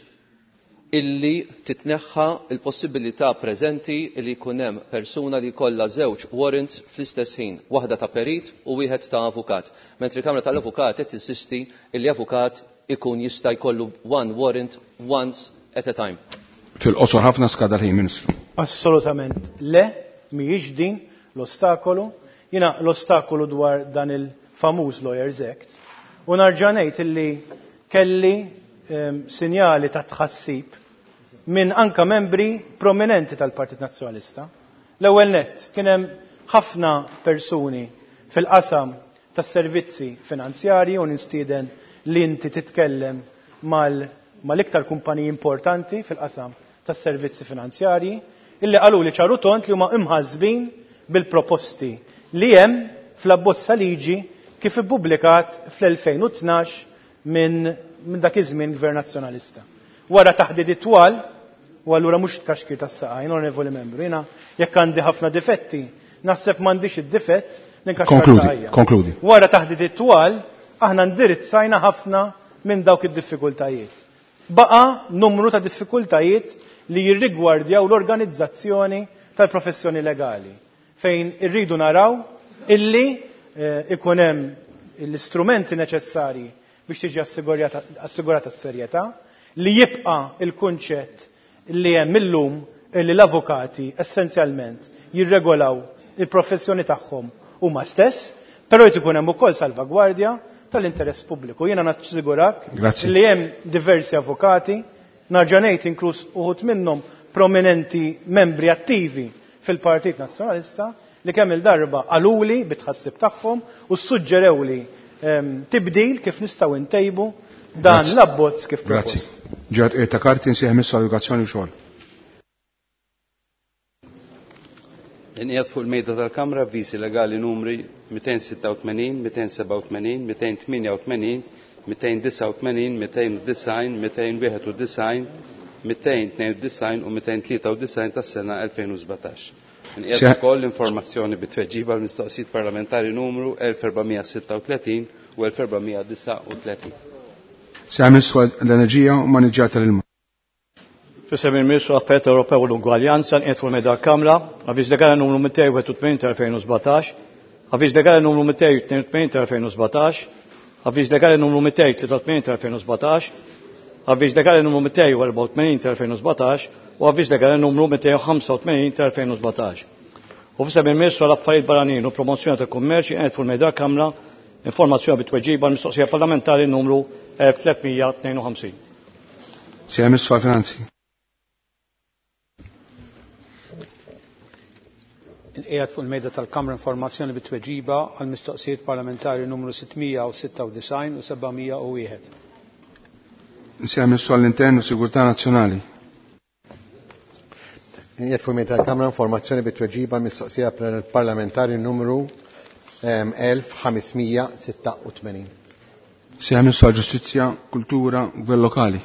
illi titneħħa l-possibilità preżenti illi jkun hemm persuna li jkollha żewġ warrants fl-istess ħin, waħda ta' perit u wieħed ta' avukat. Mentri l-Kamra tal-Avukati qed tinsisti illi avukat ikun jista' jkollu one warrant once at a time. Fil-qosor ħafna skada l-ħin, Ministru. Assolutament le, mhijiex din l-ostakolu. Jiena l-ostakolu dwar dan il-famuż Lawyers Act. U narġa' ngħid illi kelli sinjali ta' tħassib minn anka membri prominenti tal-Partit Nazzjonalista. L-ewwel nett kien hemm ħafna persuni fil-qasam tas-servizzi finanzjarji u nistieden li inti titkellem mal-iktar kumpaniji importanti fil-qasam tas-servizzi finanzjarji illi qalu li ċaru tont li huma imħassbin bil-proposti li hemm fl-abbozz ta' liġi kif ippubblikat fl-2012 minn dak iż-żmien Gvern Nazzjonalista. Wara taħdidiet twal, u allura mhux tkaxkir tas-saqajn, onorevoli membru, jiena jekk għandi ħafna difetti, naħseb m'għandix id-difett li nkaxkar Konkludi, saqajja. konkludi. Wara taħdidiet twal, aħna ndirizzajna ħafna minn dawk id-diffikultajiet. Baqa numru ta' diffikultajiet li jirrigwardjaw l-organizzazzjoni tal-professjoni legali, fejn irridu naraw illi ikun hemm l-istrumenti neċessarji biex tiġi assigurata s-serjetà, li jibqa' il-kunċett li hemm illum illi l-avukati essenzjalment jirregolaw il-professjoni tagħhom huma stess, però jrid ikun hemm ukoll salvagwardja tal-interess pubbliku. Jiena nassigurak Grazzi. li hemm diversi avukati, narġa' ngħid inkluż uħud minnhom prominenti membri attivi fil-Partit Nazzjonalista li kemm il-darba qaluli bit-tħassib tagħhom u suġġerewli tibdil kif nistgħu ntejbu dan Grazzi. l-abbozz kif Grazzi. propost. Ġat ta' karti nsieħ missu edukazzjoni u xogħol. Inqiegħed fuq il-mejda tal-Kamra avviżi legali numri 286, 287, 288, 289, 290, 291, 292 u 293 tas-sena 2017. Nqiegħed ukoll informazzjoni bit-tweġiba l-mistoqsijiet parlamentari numru 1436 u 1439. Sejjaħ Ministru l-Enerġija u Maniġġjar tal-Ilma. F'isem il-Ministru Affarijiet Ewropew u l-Ugwaljanza nqiegħed fuq il-Mejda Kamra, avviż legali numru 281 tal-2017, avviż legali numru 282 tal-2017, avviż legali numru 283 tal-2017, avviż legali numru 284 tal-2017 u avviż legali numru 285 tal-2017. U f'isem il-Ministru għall-Affarijiet Barranin u Promozzjoni tal-Kummerċ qiegħed fuq il-Mejda Kamra informazzjoni bit-tweġiba l-mistoqsija parlamentari numru 1352. Sejjaħ Ministru għall-Finanzi. Inqiegħed fuq il-mejda tal-Kamra informazzjoni bit-tweġiba għal mistoqsijiet parlamentari numru 696 u 701. Nsejjaħ Ministru għall-Intern u Sigurtà Nazzjonali. Inqiegħed fuq il-mejda tal-Kamra informazzjoni bit-tweġiba għal mistoqsija parlamentari numru 1586. Sejjaħ Ministru għall-Ġustizzja, Kultura, Gvern Lokali.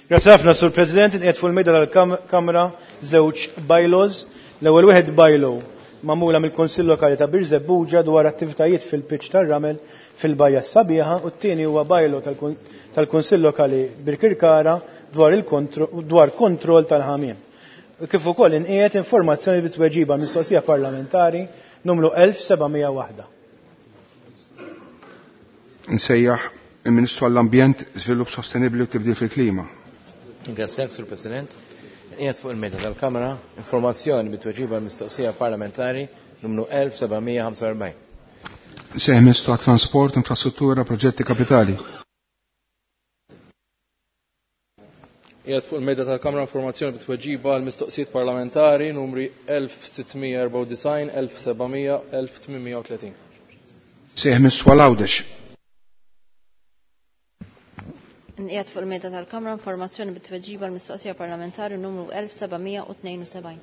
Grazie ħafna, Sur President, inqiegħed fuq il-mejda tal-Kamra żewġ bylaws. L-ewwel wieħed bylaw magħmula mill-Kunsill Lokali ta' Birżebbuġa dwar attivitajiet fil-pitch tar-ramel fil-Bajja Sabiħa u t-tieni huwa bylaw tal-Kunsill Lokali Birkirkara dwar kontroll tal-ħamiem. Kif ukoll inqiegħed informazzjoni bit-tweġiba mistoqsija parlamentari numru 1701. Nsejjaħ il-Ministru għall-Ambjent, Żvilupp Sostenibbli u Tibdil fil-Klima. Grazie, Sur President. Qiegħed fuq il-mejda tal-Kamra informazzjoni bit-tweġiba mistoqsija parlamentari numru 1745. Nsejjaħ Ministru għat-Trasport, Infrastruttura, Proġetti Kapitali. Qiegħed fuq il-mejda tal-Kamra informazzjoni bit-tweġiba għal mistoqsijiet parlamentari numri 1694, 1700, 1830. Nsejjaħ Ministru għal Għawdex. Nqiegħed fuq il-mejda tal-Kamra informazzjoni bit-tweġiba l-mistoqsija parlamentari numru 1772.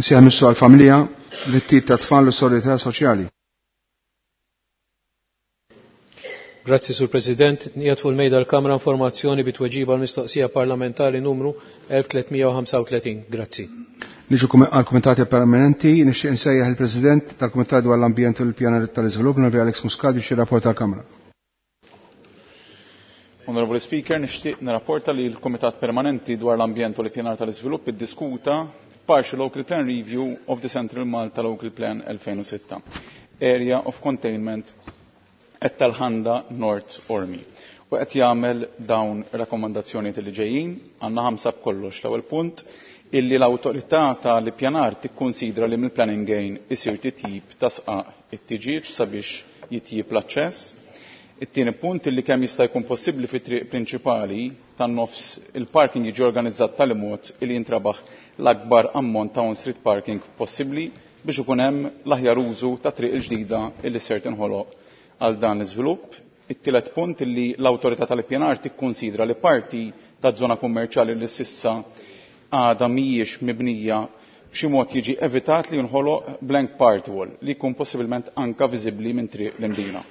Nsejjaħ Ministru għall-Familja, Drittijiet tat-Tfal u Solidarjetà Soċjali. Grazzi, Sur President. Nqiegħed fuq il-mejda l-Kamra informazzjoni bit-tweġiba l-mistoqsija parlamentari numru 1335. Grazzi. Niġu għal-Kumitati Permanenti, nixtieq insejjaħ il-President tal-Kumitat dwar l-Ambjent u l-Pjanar tal-Iżvilupp, Onorevoli Alex Muscat, biex jirrapporta l-Kamra. Onorevoli Speaker, nixtieq nirrapporta li l-Kumitat Permanenti dwar l-Ambjent u l-Pjanar tal-Iżvilupp iddiskuta Partial Local Plan Review of the Central Malta Local Plan 2006, Area of Containment at Tal-Ħanda North Ormi. U qed jagħmel dawn rakkomandazzjonijiet li ġejjin, għandna ħamsa b'kollox. L-ewwel punt illi l-awtorità tal-ippjanar tikkunsidra li mill-planning gain isir titjib ta' sqaq it-tiġieġ sabiex jitjib l-aċċess. It-tieni punt illi kemm jista' jkun possibbli fit-triq prinċipali tan-nofs il-parking jiġi organizzat tali mod illi jintrabaħ l-akbar ammont ta' on-street parking possibbli biex ikun hemm l-aħjar użu ta' triq il-ġdida illi ser tinħoloq għal dan l-iżvilupp. It-tielet punt illi l-awtorità tal-ippjanar tikkunsidra li parti ta' żona kummerċjali li s'issa għadha mhijiex mibnija b'xi mod jiġi evitat li jinħoloq blank part wall li jkun possibilment anka viżibbli minn triq l-Imdina.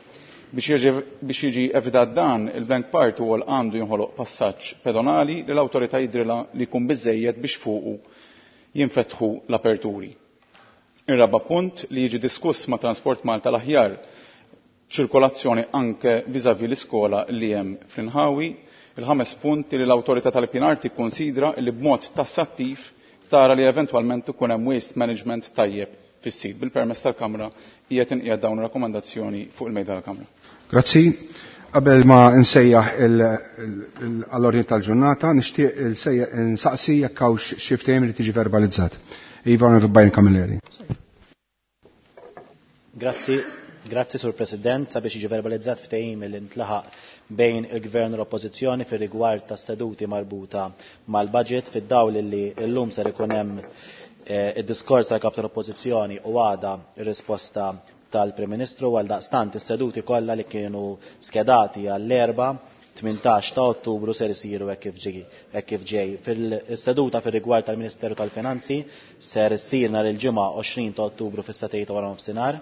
Biex jiġi evitat dan, il-blank part wall għandu jinħoloq passaġġ pedonali li l-awtorità jidrilha li jkun biżejjed biex fuqu jinfetħu l-aperturi. Ir-raba punt li jiġi diskuss ma' Transport Malta l-aħjar ċirkolazzjoni anke vis-à-vis l-iskola li hemm fl-inħawi. Il-ħames punt li l-awtorità tal-ippjanar tikkonsidra li b'mod tassattiv tara li eventwalment ikun hemm waste management tajjeb fis-sit. Bil-permess tal-Kamra qiegħed inqiegħed dawn ir-rakkomandazzjoni fuq il-mejda tal-Kamra. Grazzi. Qabel ma nsejjaħ għall-ordni tal-ġurnata, nixtieq nsaqsi jekk hawnx xi ftehim li tiġi verbalizzat. Iva, Onorevoli Byron Camilleri. Grazzi. Grazzi, Sur President, sabiex jiġi verbalizzat ftehim li ntlaħaq bejn il-Gvern u l-Oppożizzjoni fir-rigward tas-seduti marbuta mal-budget fid-dawl li llum ser ikun hemm id-diskors tal-Kap tal-Oppożizzjoni u għada ir-risposta tal-Prim Ministru għal daqstant is-seduti kollha li kienu skedati għall-erba' 18 ta' Ottubru ser isiru hekk kif ġej. Fil-seduta fir-rigward tal-Ministeru tal-Finanzi ser issir nhar il-ġimgħa 20 ta' Ottubru fis-satejta wara nofsinhar,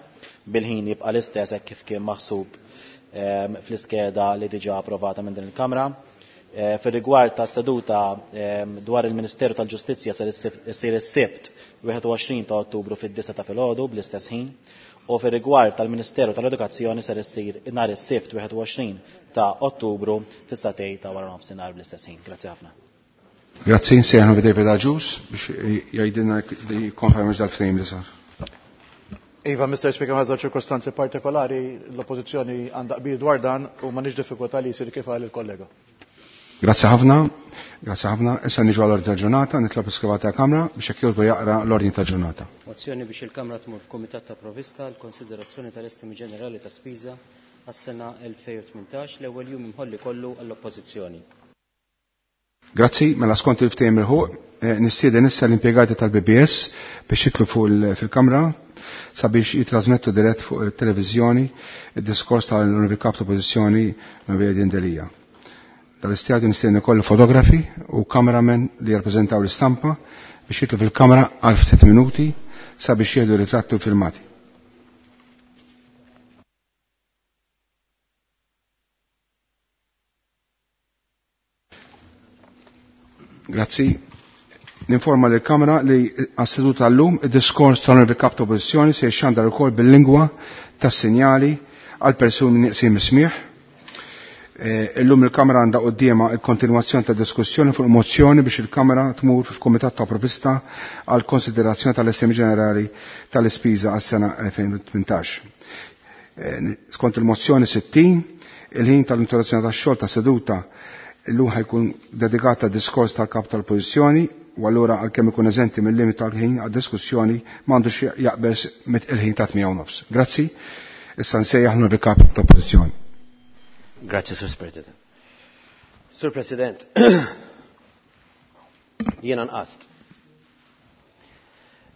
bil-ħin jibqa' l-istess hekk kif kien maħsub fl-iskeda li diġà approvata minn din il-Kamra. Fir-rigward ta' seduta dwar il-Ministeru tal-Ġustizzja ser issir is-Sibt 21 ta' Ottubru fid-9 ta' filgħodu bl-istess ħin u fir-rigward tal-Ministeru tal-Edukazzjoni ser issir nhar is-Sibt 21 ta' Ottubru fis-satej ta' wara nofsinhar bl-istess ħin. Grazzi ħafna. Grazzi, nsejħu David Agius biex jgħidilna jikkonferma dal-ftehim li sar. Iva, Mr. Speaker, ħazza ċirkostanzi partikolari l-oppozizjoni għandha qbil dwar dan u m'għandix diffikultà li jsir kif qal il-kollega. Grazzi ħafna, grazzi ħafna. Issa niġu għall-ordni ta' ġurnata, nitlob iskriva ta' Kamra biex jekk jogħġbu jaqra l-ordni ta' ġurnata. Mozzjoni biex il-Kamra tmur f'Kumitat ta' Provista għal konsiderazzjoni tal-estimi ġenerali ta' spiża għas-sena 2018 l-ewwel jum imħolli kollu għall-Oppożizzjoni. Grazzi, mela skont il-ftehim il-ħuq, nistieden issa l-impjegati tal-BBS biex jitlu fuq fil-Kamra sabiex jitrasmettu dirett fuq il-televiżjoni id-diskors tal-Onorevoli Kap tal-Oppożizzjoni Onorevoli Adrian Delia. Tal-istadju nistieden ukoll fotografi u cameramen li jirrappreżentaw l-istampa biex jitlu fil-kamra għal ftit minuti sabiex jieħdu ritratti u filmati. Grazzi. Ninforma lill kamra li għas-seduta tal-lum id-diskors tal-Onorevoli Kap ta' Oppożizzjoni se jxandar ukoll bil-lingwa tas-sinjali għal persuni nieqsin mis-smieħ. Illum il-Kamra għandha quddiemha l-kontinwazzjoni ta' diskussjoni fuq mozzjoni biex il-Kamra tmur f'Kumitat ta' Provvista għal konsiderazzjoni tal-Estimi Ġenerali tal-Ispiża għas-sena 2018. Skont il-mozzjoni 60, il-ħin tal-interruzzjoni tax-xogħol ta' seduta illum ħajkun dedikat diskors tal-kap tal-Oppożizzjoni u allura għalkemm ikun eżenti mill-limit tal-ħin għad-diskussjoni m'għandux jaqbeż mit il-ħin ta' 8:30. Grazzi. Issa nsejjaħ l-kap tal-Oppożizzjoni. Grazzi, Sur President. Sur President, jiena nqast.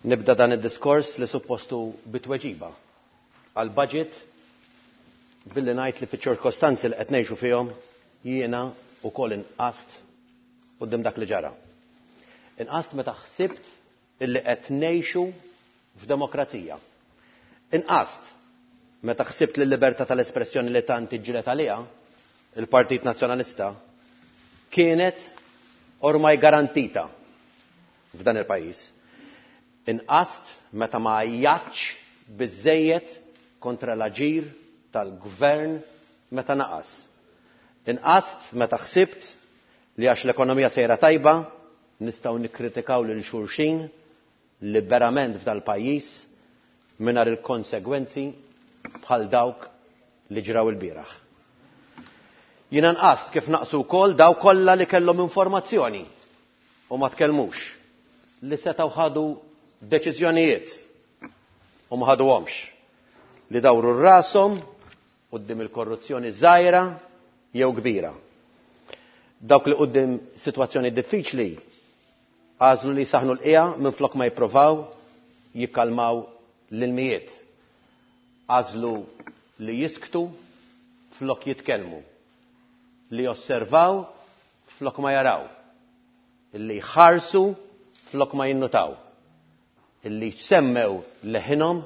Nibda dan id-diskors li suppostu bitweġiba għal budget billi ngħid li fiċ-ċirkostanzi li qed ngħixu fihom jiena wkoll inqast quddiem dak li ġara. Inqast meta ħsibt illi qed ngħixu f'demokrazija. Inqast meta ħsibt li l-libertà tal-espressjoni li tant iġġieled għaliha il-Partit Nazzjonalista kienet ormai garantita f'dan il-pajjiż. Inqast meta ma għajjatx biżżejjed kontra l-aġir tal-gvern meta naqas. Inqast meta ħsibt li għax l-ekonomija sejra tajba nistgħu nikkritikaw lil xulxin liberament f'dal-pajjiż mingħajr il-konsegwenzi bħal dawk li ġraw il-bieraħ. Jiena nqast kif naqsu wkoll daw kollha li kellhom informazzjoni u ma tkellmux, li setgħu ħadu deċiżjonijiet u ma ħaduhomx, li dawru rashom quddiem il-korruzzjoni żgħira jew kbira. Dawk li quddiem sitwazzjoni diffiċli għażlu li saħnu l-qiegħa minflok ma jippruvaw jikkalmaw l-ilmijiet. Għażlu li jisktu flok jitkellmu, li josservaw flok ma jaraw, li jħarsu flok ma jinnutaw, li jsemmew leħinhom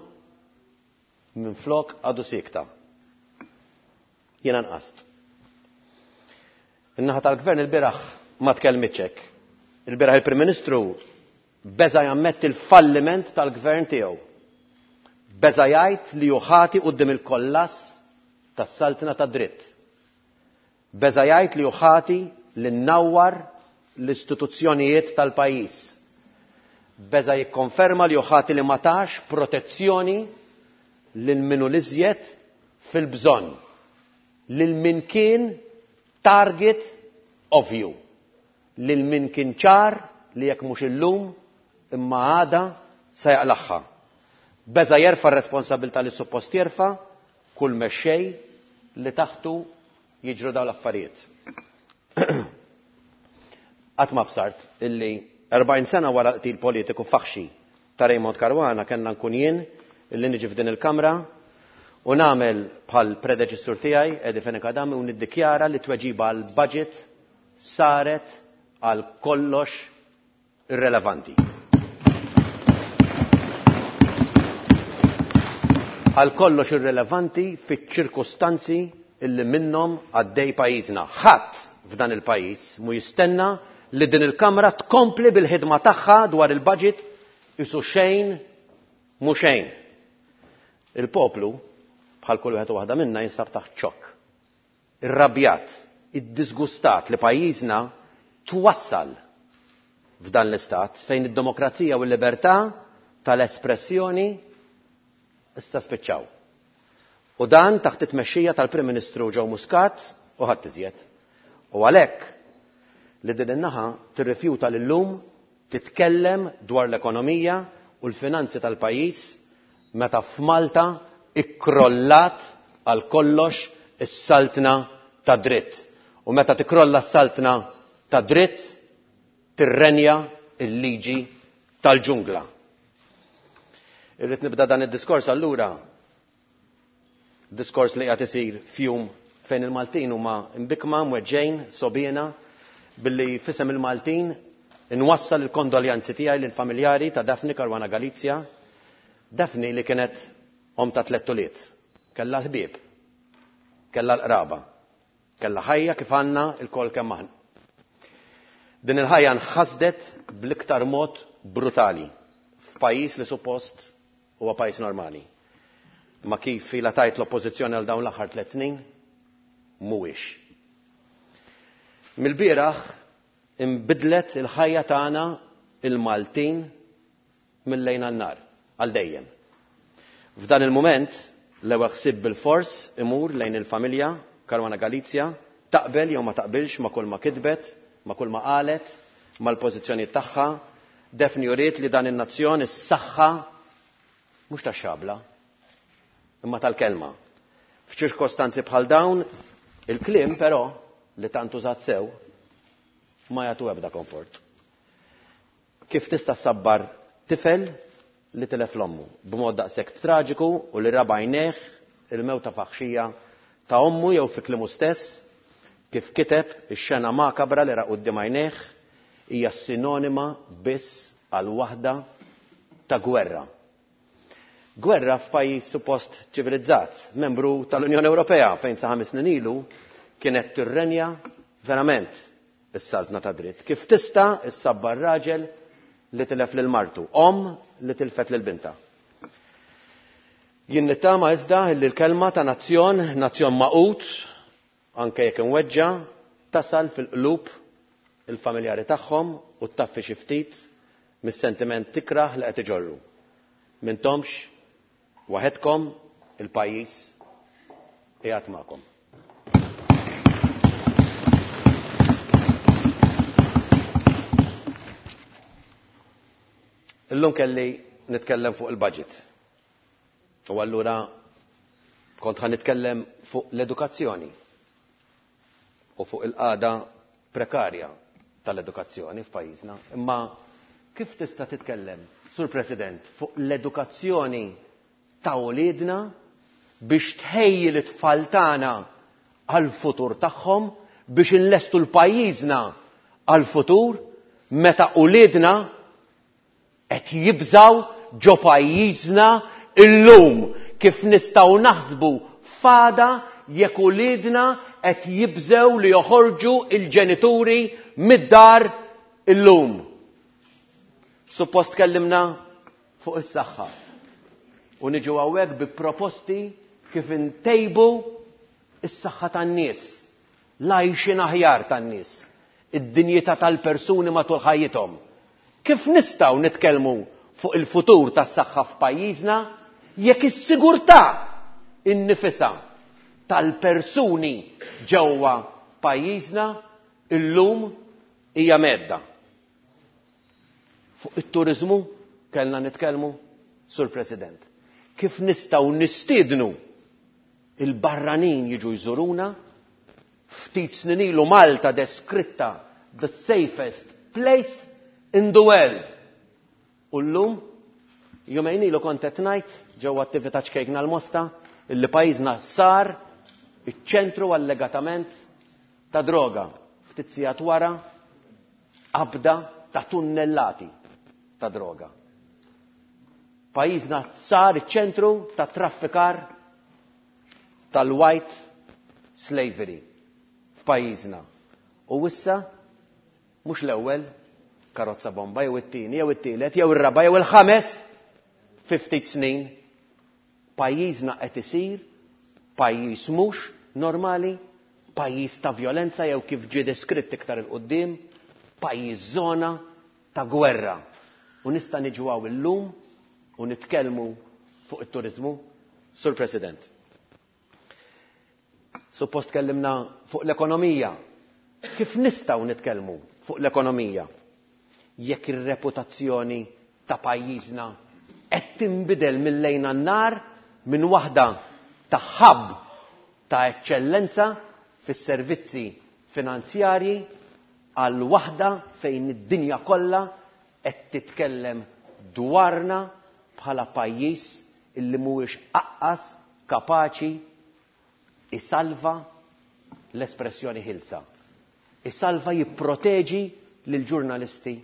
minn flok għadu sikta. Jiena nqast. In-naħa tal-gvern il-bieraħ ma tkellmitx hekk. Il-bieraħ il-Prim Ministru beża jammetti l-falliment tal-gvern tiegħu. Beża jgħid li hu ħati quddiem il-kollass tas-saltna tad-dritt. Beża jgħid li hu ħati li nnawwar l-istituzzjonijiet tal-pajjiż. Beża jikkonferma li hu ħati li ma tax protezzjoni lil min hu l-iżjed fil-bżonn, lil min kien target ovvju, lil min kien ċar li jekk mhux illum imma għada se jaqlagħha. Beża jerfa' r-responsabilità li suppost jerfa' kull mexxej li taħtu jiġru dawn l-affarijiet. Qatt ma bsart illi 40 sena wara l-qtil politiku faħxi ta' Raymond Caruana kellna nkun jien illi niġi f'din il-kamra u nagħmel bħal predeċessur tiegħi Eddie Fenech Adami u niddikjara li tweġiba għal budget saret għal kollox irrelevanti. Għal kollox irrelevanti fiċ-ċirkustanzi illi minnhom għaddej pajjiżna. Ħadd f'dan il-pajjiż mu jistenna li din il-Kamra tkompli bil-ħidma tagħha dwar il-budget isu xejn mhu xejn. Il-poplu, bħal kull wieħed u waħda minna, jinsab taħt xokk. Irrabjat, iddisgustat li pajjiżna twassal f'dan l-istat fejn id-demokrazija u l-libertà tal-espressjoni issa spiċċaw. U dan taħt it-tmexxija tal-Prim Ministru Joe Muscat u ħadd iżjed. U għalhekk li din in-naħa tirrifjuta li llum titkellem dwar l-ekonomija u l-finanzi tal-pajjiż meta f'Malta ikkrollat għal kollox is-saltna tad-dritt. U meta tikrolla s-saltna tad-dritt tirrenja l-liġi tal-ġungla. Irrid nibda dan id-diskors allura, diskors li qiegħed isir f'jum fejn il-Maltin huma mbikkma, mweġġejn, sobiena, billi f'isem il-Maltin inwassal il-kondoljanzi tiegħi lill-familjari ta' Daphne Caruana Galizia, Daphne li kienet omm ta' tlett ulied, kellha l-ħbieb, kellha l-qraba, kellha ħajja kif għandna lkoll kemm aħna. Din il-ħajja nħasdet bl-iktar mod brutali f'pajjiż li suppost huwa pajjiż normali. Imma kif ilha tgħid l-Oppożizzjoni għal dawn l-aħħar tlett snin, mhuwiex. Mill-bieraħ inbidlet il-ħajja tagħna il-Maltin mil-lejl għan-nhar, għal dejjem. F'dan il-mument, l-ewwel ħsieb bilfors imur lejn il-familja Caruana Galizia, taqbel jew ma taqbilx ma' kulma kitbet, ma' kulma qalet, mal-pożizzjonijiet tagħha, Daphne uriet li dan in-nazzjon is-saħħa mhux tax-xabla, imma tal-kelma. F'ċirkostanzi bħal dawn, il-kliem però, li tant użat sew, ma jagħtu ebda komfort. Kif tista' ssabbar tifel li tilef l-ommu b'mod daqshekk traġiku u li ra b'għajnejh il-mewta faħxija ta' ommu jew fi kliemu stess, kif kiteb, ix-xena makabra li ra quddiem għajnejh hija sinonima biss għal waħda ta' gwerra. Gwerra f'pajjiż suppost ċivilizzat, membru tal-Unjoni Ewropea fejn sa ħames snin ilu kienet tirrenja verament is-saltna tad-dritt. Kif tista' issabbar raġel li tilef lil martu, omm li tilfet lil bintha? Jien nittama iżda li l-kelma ta' nazzjon, nazzjon magħqud, anke jekk imweġġa', tasal fil-qlub il-familjari tagħhom u ttaffi xi ftit mis-sentiment ikrah li qed iġorru. M'intomx waħedkom, il-pajjiż qiegħed magħkom. Illum kelli nitkellem fuq il-budget. U allura kont ħa nitkellem fuq l-edukazzjoni u fuq il-qagħda prekarja tal-edukazzjoni f'pajjiżna. Imma kif tista' titkellem, Sur President, fuq l-edukazzjoni ta' uliedna biex tħejji lit-tfal tagħna għall-futur tagħhom, biex inlestu l-pajjiżna għall-futur meta uliedna qed jibżgħu ġo pajjiżna illum? Kif nistgħu naħsbu f'għada jekk uliedna qed jibżgħu li joħorġu l-ġenituri mid-dar illum? Suppost tkellimna fuq is-saħħa u niġu hawnhekk bi proposti kif intejbu s-saħħa tan-nies, l-għajxien aħjar tan-nies, id-dinjità tal-persuni matul ħajjithom. Kif nistgħu nitkellmu fuq il-futur tas-saħħa f'pajjiżna jekk is-sigurtà innifisha tal-persuni ġewwa pajjiżna illum hija mhedda? Fuq it-turiżmu kellna nitkellmu, Sur President. Kif nistgħu nistiednu il-barranin jiġu jżuruna? Ftit snin ilu Malta deskritta the safest place in the world. U llum, jumejn ilu kont qed ngħid ġewwa attività ċkejkna l-Mosta illi pajjiżna sar iċ-ċentru allegatament ta' droga. Ftit sigħat wara qabda ta' tunnellati ta' droga. Pajjiżna sar iċ-ċentru ta' traffikar tal-white slavery f'pajjiżna. U issa mhux l-ewwel karozza bomba jew it-tieni jew it-tielet jew ir-raba' jew il-ħames fi ftit snin. Pajjiżna qed isir pajjiż mhux normali, pajjiż ta' vjolenza jew kif ġie deskritt iktar 'il quddiem, pajjiż żona ta' gwerra. U nista' niġu hawn illum u nitkellmu fuq it-turiżmu? Sur President, suppost tkellimna fuq l-ekonomija. Kif nistgħu nitkellmu fuq l-ekonomija jekk ir-reputazzjoni ta' pajjiżna qed tinbidel mil-lejl għan-nhar minn waħda ta' hub ta' eċċellenza fis-servizzi finanzjarji għal waħda fejn id-dinja kollha qed titkellem dwarna bħala pajjiż illi mhuwiex aqqas kapaċi isalva l-espressjoni ħielsa, isalva jipproteġi lill-ġurnalisti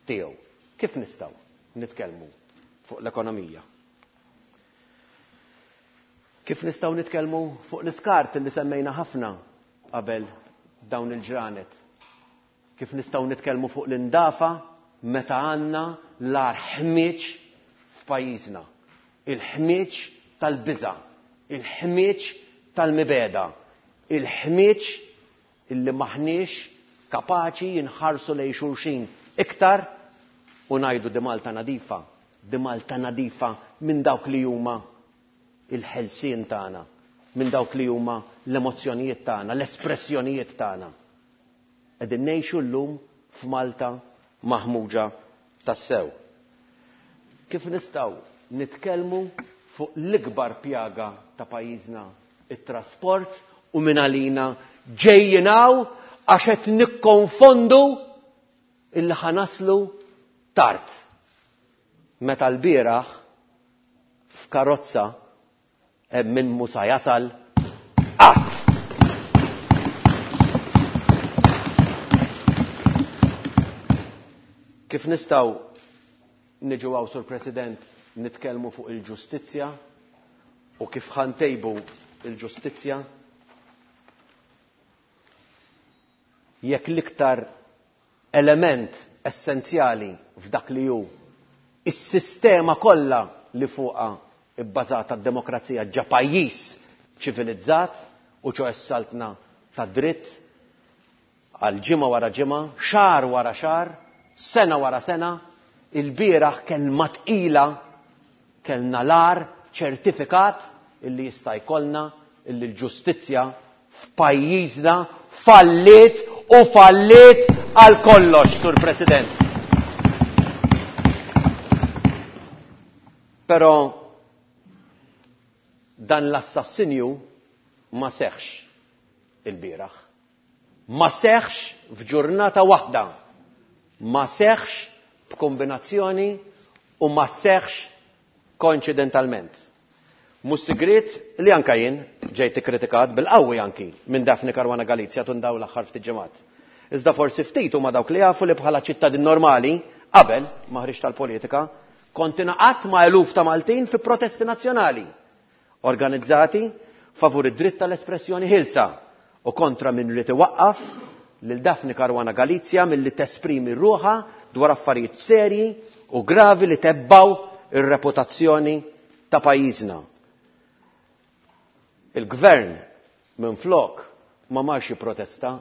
tiegħu. Kif nistgħu nitkellmu fuq l-ekonomija? Kif nistgħu nitkellmu fuq l-iskart li semmejna ħafna qabel dawn il-ġranet? Kif nistgħu nitkellmu fuq l-indafa meta għandna l-agħar ħmieġ f'pajjiżna? Il-ħmieġ tal-biża', il-ħmieġ tal-mibegħda, il-ħmieġ illi m'aħniex kapaċi nħarsu lejn xulxin iktar u ngħidu di Malta nadifa, di Malta nadifa minn dawk li huma il-ħelsien tagħna, minn dawk li huma l-emozzjonijiet tagħna, l-espressjonijiet tagħna. Qegħdin ngħixu llum f'Malta maħmuġa tassew. Kif nistgħu nitkellmu fuq l-ikbar pjaga ta' pajjiżna, it-trasport, u mingħalina ġejjin hawn għax qed nikkonfondu illi ħa naslu tard. Meta lbieraħ f'karozza Hemm min mhu sa jasal qatt. Kif nistgħu niġu hawn, Sur President, nitkellmu fuq il-ġustizzja u kif ħa ntejbu l-ġustizzja jekk l-iktar element essenzjali f'dak li hu s-sistema kollha li fuqha bbażata d-demokrazija ġa pajjiż ċivilizzat u ċoe s-saltna tad-dritt, għal ġimgħa wara ġimgħa, xahar wara xahar, sena wara sena, ilbieraħ kelma tqila kellna l-agħar ċertifikat illi jista' jkollna illi l-ġustizzja f'pajjiżna falliet u falliet għal kollox, Sur President. Però dan l-assassinju ma seħħx ilbieraħ. Ma seħħx f'ġurnata waħda. Ma seħħx b'kombinazzjoni u ma seħħx koinċidentalment. Mhux sigriet li anke jien ġejt ikkritikat bil-qawwi anki minn Daphne Caruana Galizia tul dawn l-aħħar ftit ġimgħat. Iżda forsi ftit huma dawk li jafu li bħala ċittadin normali, qabel ma ħriġt għall-politika, kont ingħaqadt ma' eluf ta' Maltin fi protesti nazzjonali organizzati favur id-dritt tal-espressjoni ħielsa u kontra min ried iwaqqaf lil Daphne Caruana Galizia milli tesprimi ruħha dwar affarijiet serji u gravi li tebbgħu r-reputazzjoni ta' pajjiżna. Il-Gvern minflok ma marx jipprotesta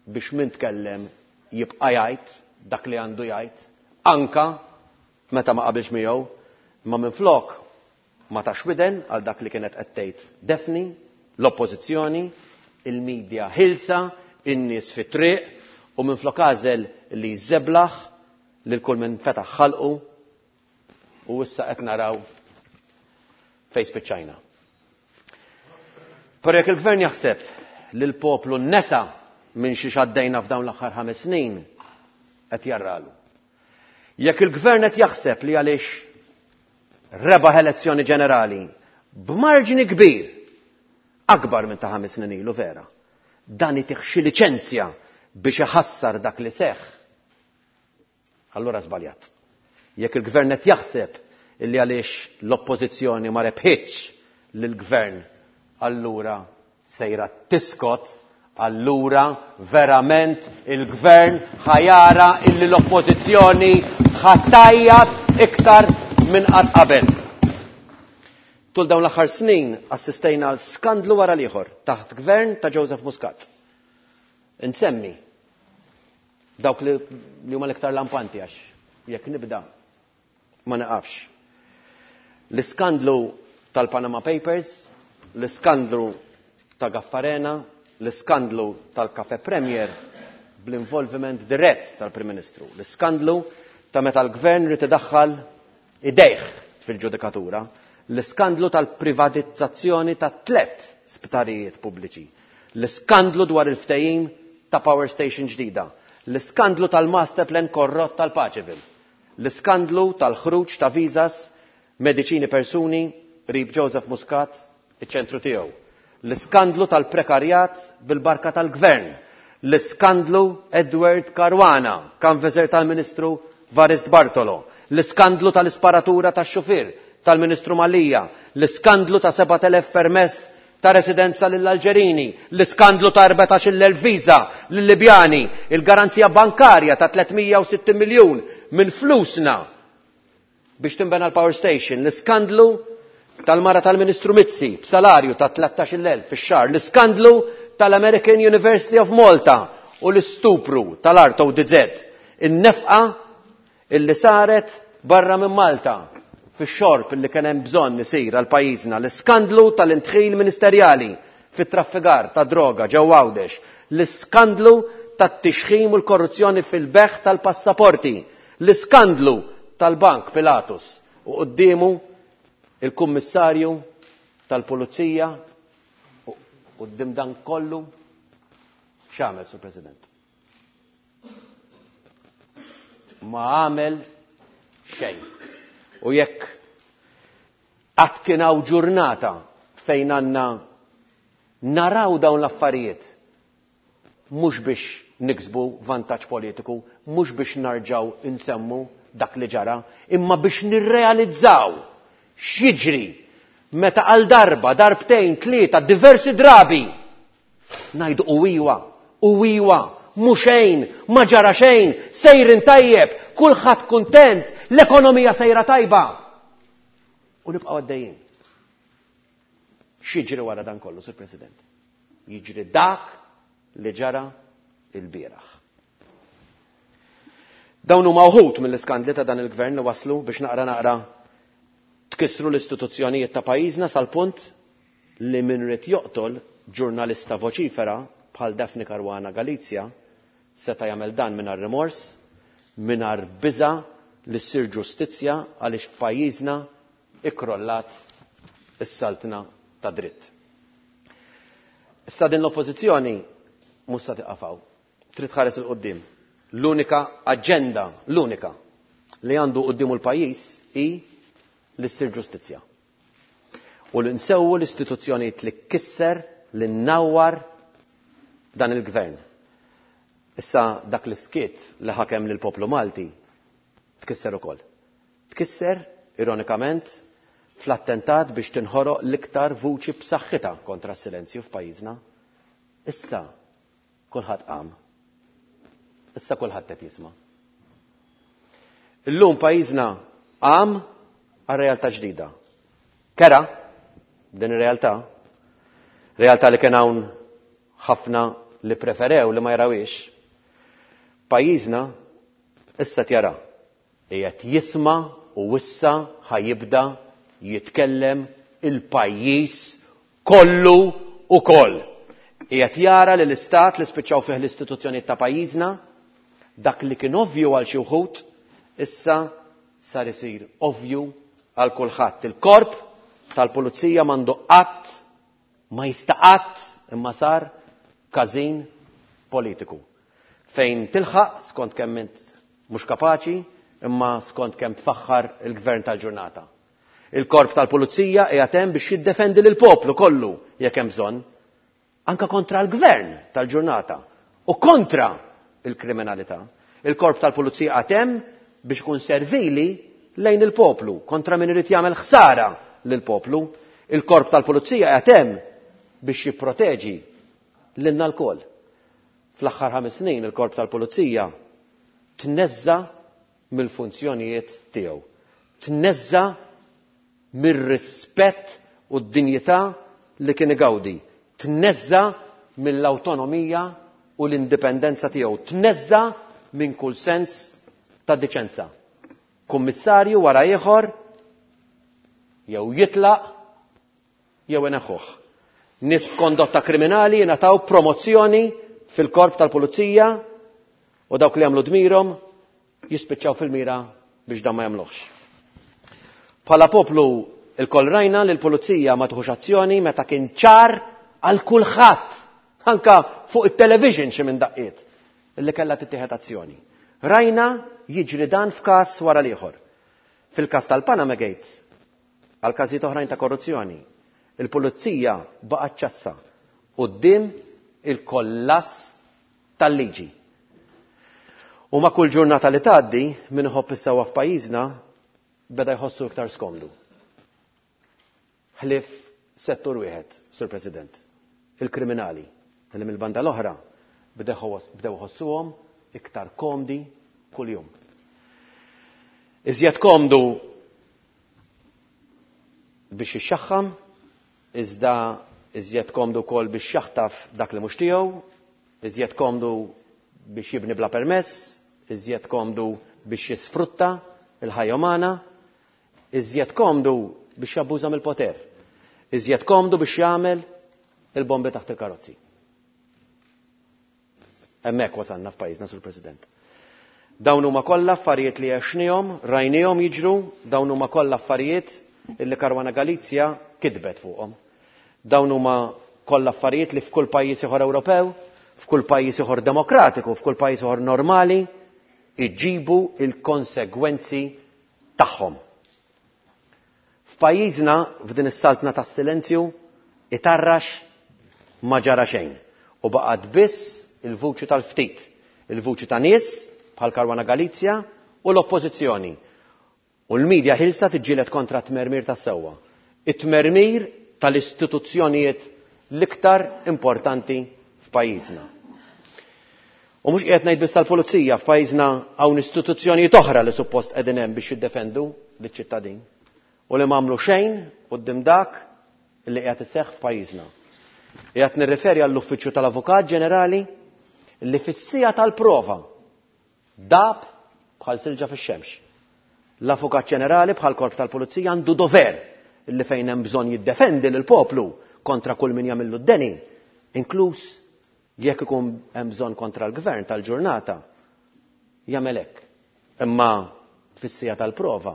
biex min tkellem jibqa' jgħid dak li għandu jgħid anka meta ma qabilx miegħu, imma minflok ma tax widen għal dak li kienet qed tgħid Daphne, l-Oppożizzjoni, il-media ħielsa, in-nies fit-triq u minflok għażel li jżeblaħ lil kull min fetaħ ħalqu u issa qed naraw fejn spiċċajna. Però jekk il-Gvern jaħseb li l-poplu nesa minn xiex għaddejna f'dawn l-aħħar ħames snin, qed jarralu. Jekk il-Gvern qed jaħseb li għaliex rebaħ elezzjoni ġenerali b'marġni kbir, akbar minn ta' ħames snin ilu vera, dan itih xi liċenzja biex iħassar dak li seħħ, allura żbaljat. Jekk il-Gvern qed jaħseb illi għaliex l-Oppożizzjoni ma rebħitx lill-Gvern allura sejra tiskot, allura verament il-gvern ħa jara illi l-oppożizzjoni ħa tgħajjat iktar minn qatt qabel. Tul dawn l-aħħar snin assistejna għal skandlu wara l-ieħor taħt gvern ta' Joseph Muscat. Insemmi dawk li huma l-iktar lampanti għax jekk nibda ma naqafx. L-iskandlu tal-Panama Papers, l-iskandlu ta' Gaffarena, l-iskandlu tal-Cafe Premier bl-involviment dirett tal-Prim Ministru, l-iskandlu ta' meta l-gvern rid idaħħal idejh fil-ġudikatura, l-iskandlu tal-privatizzazzjoni ta' tlett sptarijiet pubbliċi, l-iskandlu dwar il-ftehim ta' power station ġdida, l-iskandlu tal-master plan korrott tal-Paċeville, l-iskandlu tal-ħruġ ta' visas mediċini persuni qrib Joseph Muscat iċ-ċentru tiegħu, l-iskandlu tal-prekarjat bil-barka tal-gvern, l-iskandlu Edward Caruana, kanveżer tal-Ministru Varist Bartolo, l-iskandlu tal-isparatura tax-xufier tal-Ministru Mallia, l-iskandlu ta' 7,000 permess ta' residenza lill-Alġerini, l-iskandlu ta' 14,000 viża lill-Libjani, il-garanzija bankarja ta' 360 miljun minn flusna biex tinbena l-power station, l-iskandlu tal-mara tal-Ministru Mizzi b'salarju ta' 13,000 fix-xahar, l-iskandlu tal-American University of Malta u l-istupru tal-art ODZ, in-nefqa illi saret barra minn Malta fix-xorb illi kien hemm bżonn isir għal pajjiżna, l-iskandlu tal-indħil ministerjali fit-traffikar ta' droga ġewwa Għawdex, l-iskandlu tat-tixħim u l-korruzzjoni fil-bejgħ tal-passaporti, l-iskandlu tal-Bank Pilatus u quddiemu il-Kummissarju tal-Pulizija u quddiem dan kollu x'għamel, Sur President? Ma għamel xejn. U jekk qatt kien hawn ġurnata fejn għandna naraw dawn l-affarijiet mhux biex niksbu vantaġġ politiku, mhux biex narġgħu nsemmu dak li ġara, imma biex nirrealizzaw x'jiġri meta għal darba, darbtejn, tlieta, diversi drabi ngħidu u iwa, u iwa, mhu xejn, ma ġara xejn, sejrin tajjeb, kulħadd kuntent, l-ekonomija sejra tajba. U nibqgħu għaddejjin. X'jiġri wara dan kollu, Sur President? Jiġri dak li ġara il-bieraħ. Dawn huma wħud mill-iskandli ta' dan il-gvern li waslu biex naqra naqra tkissru l-istituzzjonijiet ta' pajjiżna sal-punt li min ried joqtol ġurnalista voċifera bħal Daphne Caruana Galizia seta' jagħmel dan mingħajr rimors, mingħajr biża' li ssir ġustizzja għaliex f'pajjiżna ikkrollat is-saltna tad-dritt. Issa din l-Oppożizzjoni mhux sa tieqaf hawn. Trid tħares 'il quddiem. L-unika aġenda, l-unika, li għandu quddiemu l-pajjiż hi li ssir ġustizzja. U li nsewwu l-istituzzjonijiet li kisser, li nnawwar dan il-Gvern. Issa dak l-iskiet li ħakem lill-poplu Malti tkisser ukoll. Tkisser, ironikament, fl-attentat biex tinħoroq l-iktar vuċi b'saħħitha kontra s-silenzju f'pajjiżna. Issa kulħadd qam. Issa kulħadd qed jisma'. Illum pajjiżna qam għal realtà ġdida. Kera din ir-realtà, realtà li kien hawn ħafna li preferew li ma jarawhiex. Pajjiżna issa qed jara, qiegħed jisma' u issa ħa jibda jitkellem il-pajjiż kollu ukoll. Qiegħed jara li l-istat li spiċċaw fih l-istituzzjonijiet ta' pajjiżna, dak li kien ovvju għal xi wħud, issa sar isir ovvju għal kulħadd. Il-korp tal-pulizija m'għandu qatt, ma jista' qatt imma sar każin politiku. Fejn tilħaq skont kemm int mhux kapaċi imma skont kemm tfaħħar il-gvern tal-ġurnata. Il-korp tal-pulizija qiegħed hemm biex jiddefendi lill-poplu kollu jekk hemm bżonn, anke kontra l-gvern tal-ġurnata u kontra il-kriminalità. Il-korp tal-pulizija qiegħed hemm biex ikun servili lejn il-poplu, kontra min irid jagħmel ħsara lill-poplu. Il-korp tal-pulizija qiegħed hemm biex jipproteġi lilna lkoll. Fl-aħħar 5 snin il-Korp tal-Pulizija tneżża' mill-funzjonijiet tiegħu. Tneżża' mir-rispett u d-dinjità li kien igawdi. Tneżża' mill-awtonomija u l-indipendenza tiegħu. Tneżża' minn kull sens ta' diċenza. Kummissarju wara ieħor jew jitlaq jew ineħħuh. Nies b'kondotta kriminali jingħataw promozzjoni fil-korp tal-pulizija u dawk li jagħmlu dmirhom jispiċċaw fil-mira biex dan ma jagħmluhx. Bħala poplu lkoll rajna li l-pulizija ma tieħux azzjoni meta kien ċar għal kulħadd, anka fuq it-television xi minn daqqiet, li kellha tittieħed azzjoni. Rajna jiġri dan f'każ wara l-ieħor. Fil-każ tal-Panama Gate, għal każijiet oħrajn ta' korruzzjoni, il-pulizija baqgħet ċassa quddiem il-kollass tal-liġi. U ma' kull ġurnata li tgħaddi, min iħobb is-sewwa f'pajjiżna beda jħossu iktar skomdu. Ħlief settur wieħed, Sur President, il-kriminali, li mill-banda l-oħra bdew iħossuhom iktar komdi kuljum. Iżjed komdu biex jixxaħħam, iżda iżjed komdu wkoll biex jaħtaf dak li mhux tiegħu, iżjed komdu biex jibni bla permess, iżjed komdu biex jisfrutta l-ħajja umana, iżjed komdu biex jabbuża mill-poter, iżjed komdu biex jagħmel il-bombi taħt il-karozzi. Hemmhekk wasalna f'pajjiżna, Sur President. Dawn huma kollha affarijiet li għexnihom, rajnihom jiġru, dawn huma kollha affarijiet illi Caruana Galizia kitbet fuqhom. Dawn huma kollha affarijiet li f'kull pajjiż ieħor Ewropew, f'kull pajjiż ieħor demokratiku, f'kull pajjiż ieħor normali iġibu il-konsegwenzi tagħhom. F'pajjiżna, f'din is-saltna tas-silenzju, itarrax ma ġara xejn u baqgħet biss il-vuċi tal-ftit, il-vuċi ta' nies bħal Caruana Galizia u l-Oppożizzjoni. U l-media ħilsa tiġġieled kontra t-tmermir tas-sewwa. It-tmermir tal-istituzzjonijiet l-iktar importanti f'pajjiżna. U mhux qiegħed ngħid biss tal-pulizija, f'pajjiżna hawn istituzzjonijiet oħra li suppost qegħdin hemm biex jiddefendu liċ-ċittadin u li m'għamlu xejn quddiem dak li qiegħed iseħħ f'pajjiżna. Qiegħed nirriferi għall-Uffiċċju tal-Avukat Ġenerali li fis-siegħa tal-prova dab bħal silġa fix-xemx. L-Avukat Ġenerali bħal korp tal-Pulizija għandu dover li fejn hemm bżonn jiddefendi lill-poplu kontra kull min jagħmillu d-deni, inkluż jekk ikun hemm bżonn kontra l-gvern tal-ġurnata, jagħmel hekk. Imma fis-siegħa tal-prova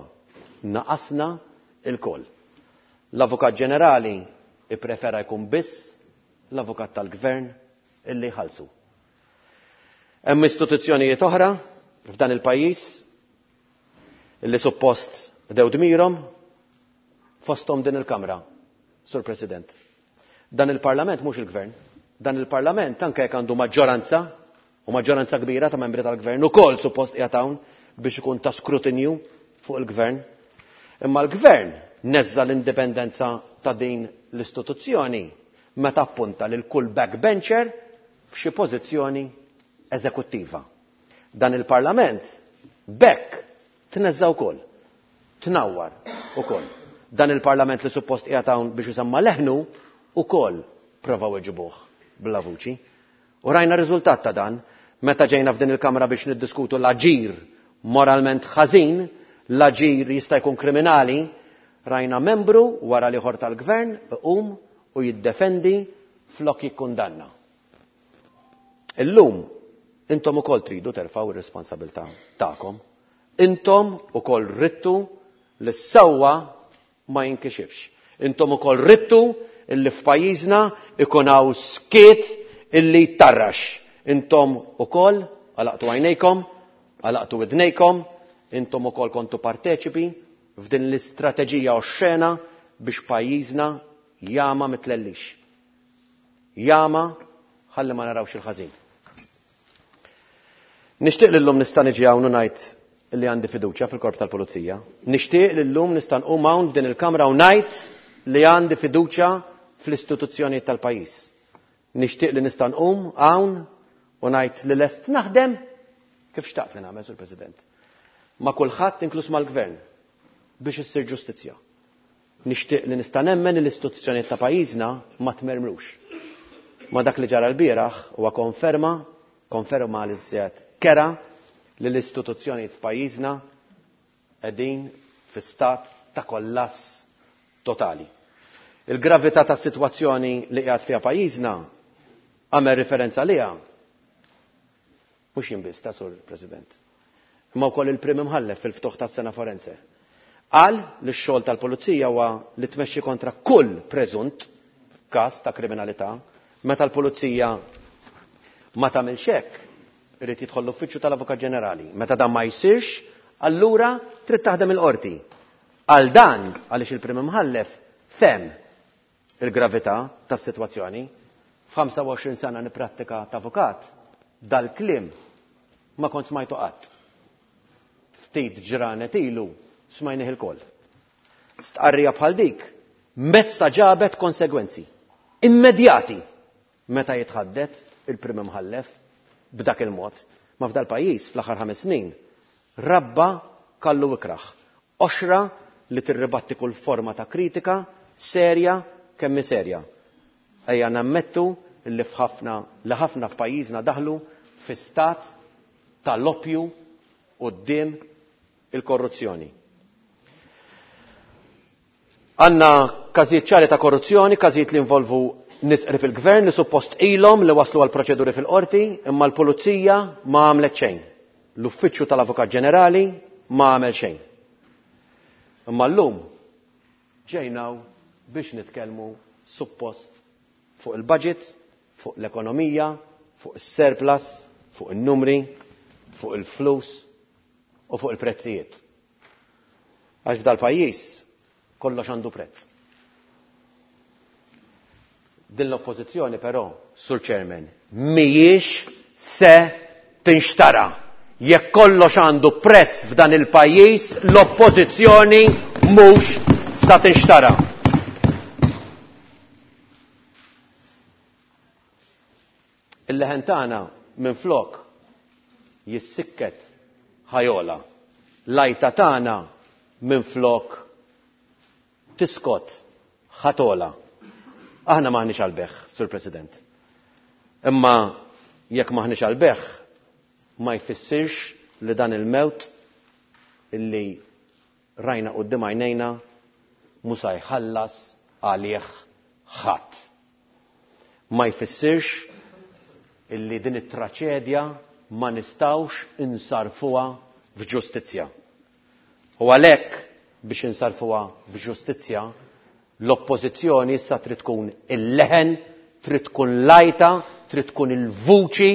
naqasna lkoll. L-Avukat Ġenerali ipprefera jkun biss l-avukat tal-gvern illi jħallsu. Hemm istituzzjonijiet oħra f'dan il-pajjiż illi suppost bdew dmirhom fosthom din il-Kamra, Sur President. Dan il-Parlament mhux il-Gvern. Dan il-Parlament anke jekk għandu maġġoranza u maġġoranza kbira ta' membri tal-Gvern ukoll suppost qiegħed hawn biex ikun ta' skrutinju fuq il-Gvern. Imma l-Gvern neżża l-indipendenza ta' din l-istituzzjoni meta appunta lil kull backbencher f'xi pożizzjoni eżekuttiva. Dan il-Parlament b'hekk tneżża wkoll, tnawwar ukoll. Dan il-Parlament li suppost qiegħed hawn biex isemma' leħnu ukoll provaw iġibuh bla vuċi. U rajna r-riżultat ta' dan meta ġejna f'din il-Kamra biex niddiskutu l-aġir moralment ħażin, l-aġir jista' jkun kriminali, rajna membru wara l-ieħor tal-Gvern iqum u jiddefendi flok jikkundanna. Illum intom ukoll tridu terfgħu r-responsabilità tagħkom. Intom ukoll ridtu li s-sewwa ma jinkixifx. Intom ukoll ridtu illi f'pajjiżna ikun hawn skiet illi jtarrax. Intom ukoll għalaqtu għajnejkom, għalaqtu widnejkom, intom ukoll kontu parteċipi f'din l-istrateġija oxxena biex pajjiżna jama mitlellix. Jama ħalli ma narawx il-ħażin. Nixtieq li llum nista' niġi hawn u ngħid li għandi fiduċja fil-korp tal-Pulizija. Nixtieq li llum nista' nqum hawn f'din il-Kamra u ngħid li għandi fiduċja fl-istituzzjonijiet tal-pajjiż. Nixtieq li nista' nqum hawn u ngħid li lest naħdem kif xtaqt li nagħmel, Sur President, ma' kulħadd inkluż mal-Gvern biex issir ġustizzja. Nixtieq li nista' nemmen li l-istituzzjonijiet ta' pajjiżna ma tmermrux. Ma dak li ġara lbieraħ huwa konferma, konferma li żjed kera li l-istituzzjonijiet f'pajjiżna qegħdin fi stat ta' kollass totali. Il-gravità tas-sitwazzjoni li qiegħed fiha pajjiżna għamel riferenza għaliha mhux jien biss ta' Sur President, imma wkoll il-Prim Imħallef fil-ftuħ tas-sena forense. Qal li x-xogħol tal-Pulizija huwa li tmexxi kontra kull preżunt każ ta' kriminalità. Meta l-Pulizija ma tagħmilx hekk, irid jidħol l-Uffiċċju tal-Avukat Ġenerali. Meta dan ma jsirx, allura trid taħdem il-qorti. Għal dan, għaliex il-Prim Imħallef fehem il-gravità tas-sitwazzjoni. F'25 sena nipprattika ta' avukat, dal-kliem ma kont smajtu qatt. Ftit ġranet ilu smajnih ilkoll. Stqarrija bħal dik messa ġabet konsegwenzi immedjati meta jitħaddet il-Prim Imħallef b'dak il-mod. Ma f'dal-pajjiż fl-aħħar 5 snin rabba kallu ikrah. Qoxra li tirribatti kull forma ta' kritika serja kemm hi serja. Ejja nammettu li f'ħafna li ħafna f'pajjiżna daħlu fi stat ta' loppju quddiem il-korruzzjoni. Għandna każijiet ċari ta' korruzzjoni, każijiet li involvu nies qrib il-gvern li suppost ilhom li waslu għal proċeduri fil-qorti, imma l-pulizija ma għamlet xejn. L-Uffiċċju tal-Avukat Ġenerali ma għamel xejn. Imma llum ġejna biex nitkellmu suppost fuq il-budget, fuq l-ekonomija, fuq is-surplus, fuq in-numri, fuq il-flus u fuq il-prezzijiet. Għax f'dal-pajjiż kollox għandu prezz. Din l-oppożizzjoni però, Sur Chairman, mhijiex se tinxtara. Jekk kollox għandu prezz f'dan il-pajjiż, l-oppożizzjoni mhux sa tinxtara. Il-leħen tagħna minflok jissikket ħajola. L-għajta tagħna minflok tiskot ħatola. Aħna m'aħniex għall-beħ, Sur President. Imma jekk m'aħniex għall-beħ, ma jfissirx li dan il-mewt illi rajna quddiem għajnejna mhu sa jħallas għalih ħadd. Ma jfissirx illi din it-traċedja ma nistgħux insarfuha f'ġustizzja. U għalhekk biex insarfuha f'ġustizzja, l-oppożizzjoni issa trid tkun il-leħen, trid tkun l-għajta, trid tkun il-vuċi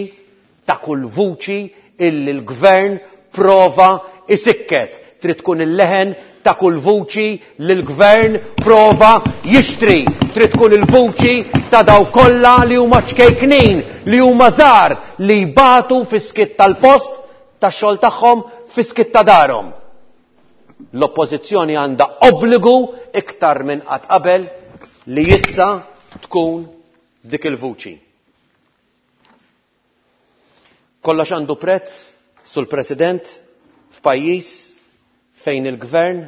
ta' kull vuċi illi l-gvern prova isikket. Trid tkun il-leħen ta' kull vuċi li l-gvern prova jixtri. Trid tkun il-vuċi ta' daw kollha li huma ċkejknin, li huma żgħar, li jbatu fis-skiet tal-post tax-xogħol tagħhom, fis-skiet ta' darhom. L-oppożizzjoni għandha obbligu iktar minn qatt qabel li issa tkun dik il-vuċi. Kollox għandu prezz, Sur President, f'pajjiż fejn il-gvern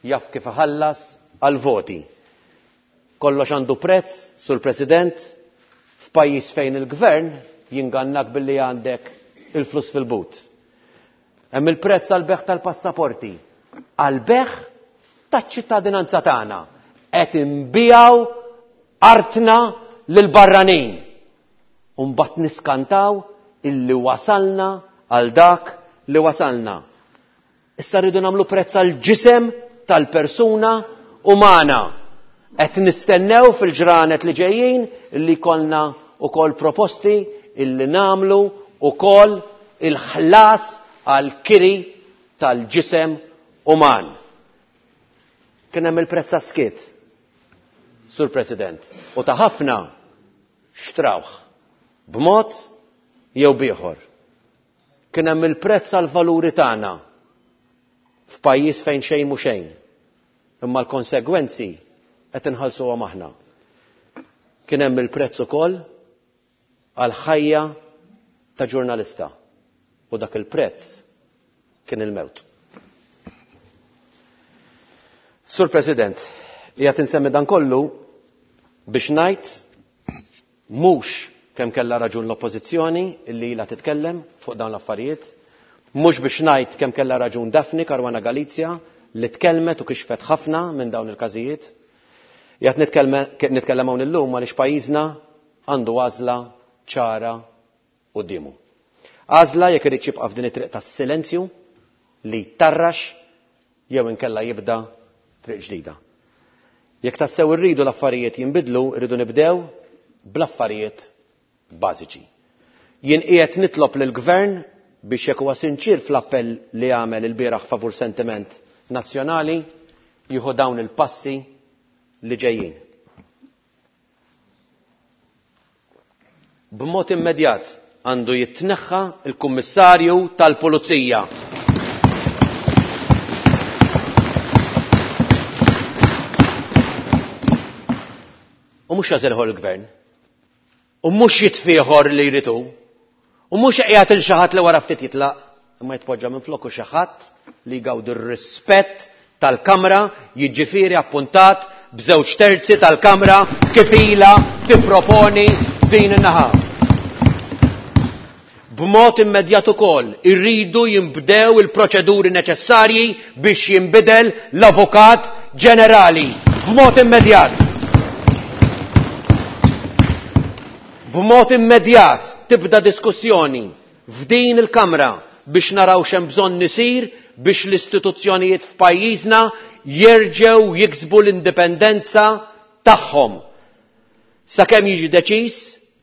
jaf kif iħallas għal-voti. Kollox għandu prezz, Sur President, f'pajjiż fejn il-gvern jingannak billi għandek il-flus fil-but. Hemm il-prezz għal-beħ tal-passaporti, għal-beħ taċ-ċittadinanza tagħna. Qed inbijaw artna lil barranin. U mbagħad niskantaw illi wasalna għal dak li wasalna. Issa rridu nagħmlu prezz għall-ġisem tal-persuna umana. Qed nistennew fil-ġranet li ġejjin illi jkollna wkoll proposti illi nagħmlu wkoll il-ħlas għall-kiri tal-ġisem uman. Kien hemm il-prezz għas-skiet, Sur President, u ta' ħafna xtrawh b'mod jew b'ieħor. Kien hemm il-prezz għall-valuri tagħna f'pajjiż fejn xejn mhu xejn. Imma l-konsegwenzi qed inħallsuhom aħna. Kien hemm il-prezz ukoll għal ħajja ta' ġurnalista u dak il-prezz kien il-mewt. Sur President, qiegħed insemmi dan kollu biex ngħid mhux kemm kellha raġun l-Oppożizzjoni illi ilha titkellem fuq dawn l-affarijiet, mhux biex ngħid kemm kellha raġun Daphne Caruana Galizia li tkellmet u kixfet ħafna minn dawn il-każijiet. Qiegħed nitkellem hawn illum għaliex pajjiżna għandu għażla ċara quddiemu. Għażla jekk irid jibqa' f'din it-triq tas-silenzju li jtarrax jew inkella jibda triq ġdida. Jekk tassew irridu l-affarijiet jinbidlu, irridu nibdew bl-affarijiet bażiċi. Jien qiegħed nitlob lill-Gvern biex jekk huwa sinċier fl-appell li għamel ilbieraħ favur sentiment nazzjonali, jieħu dawn il-passi li ġejjin. B'mod immedjat għandu jitneħħa il-Kummissarju tal-Pulizija. U mhux jażilħor il-Gvern. U mhux jitfieħor li jrid hu. U mhux qiegħed il xi ħadd li wara ftit jitlaq, imma jitpoġġa minn floku xi ħadd li jgawdi r-rispett tal-Kamra, jiġifieri appuntat b'żewġ terzi tal-Kamra kif ilha tipproponi din in-naħa. B'mod immedjat ukoll irridu jinbdew il-proċeduri neċessarji biex jinbidel l-Avukat Ġenerali. B'mod immedjat. B'mod immedjat tibda diskussjoni f'din il-Kamra biex naraw x'hemm bżonn isir biex l-istituzzjonijiet f'pajjiżna jerġgħu jiksbu l-indipendenza tagħhom. Sakemm jiġi deċiż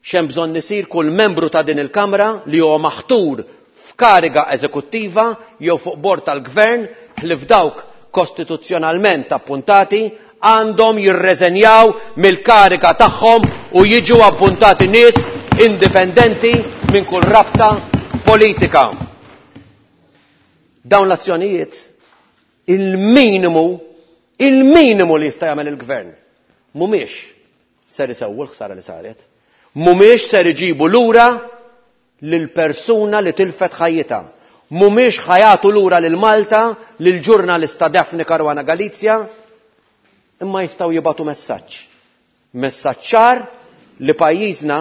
x'hemm bżonn isir kull membru ta' din il-Kamra li huwa maħtur f'kariga eżekuttiva jew fuq bord tal-Gvern ħlief dawk kostituzzjonalment appuntati għandhom jirreżenjaw mill-kariga tagħhom u jiġu appuntati nies indipendenti minn kull rabta politika. Dawn l-azzjonijiet il-minimu li jista' jagħmel il-Gvern mhumiex ser isewwu l-ħsara li saret, mhumiex ser iġibu lura lill-persuna li tilfet ħajjitha, mhumiex ħajatu lura lil Malta lill-ġurnalista Daphne Caruana Galizia, imma jistgħu jibgħatu messaġġ. Messaġġ ċar li pajjiżna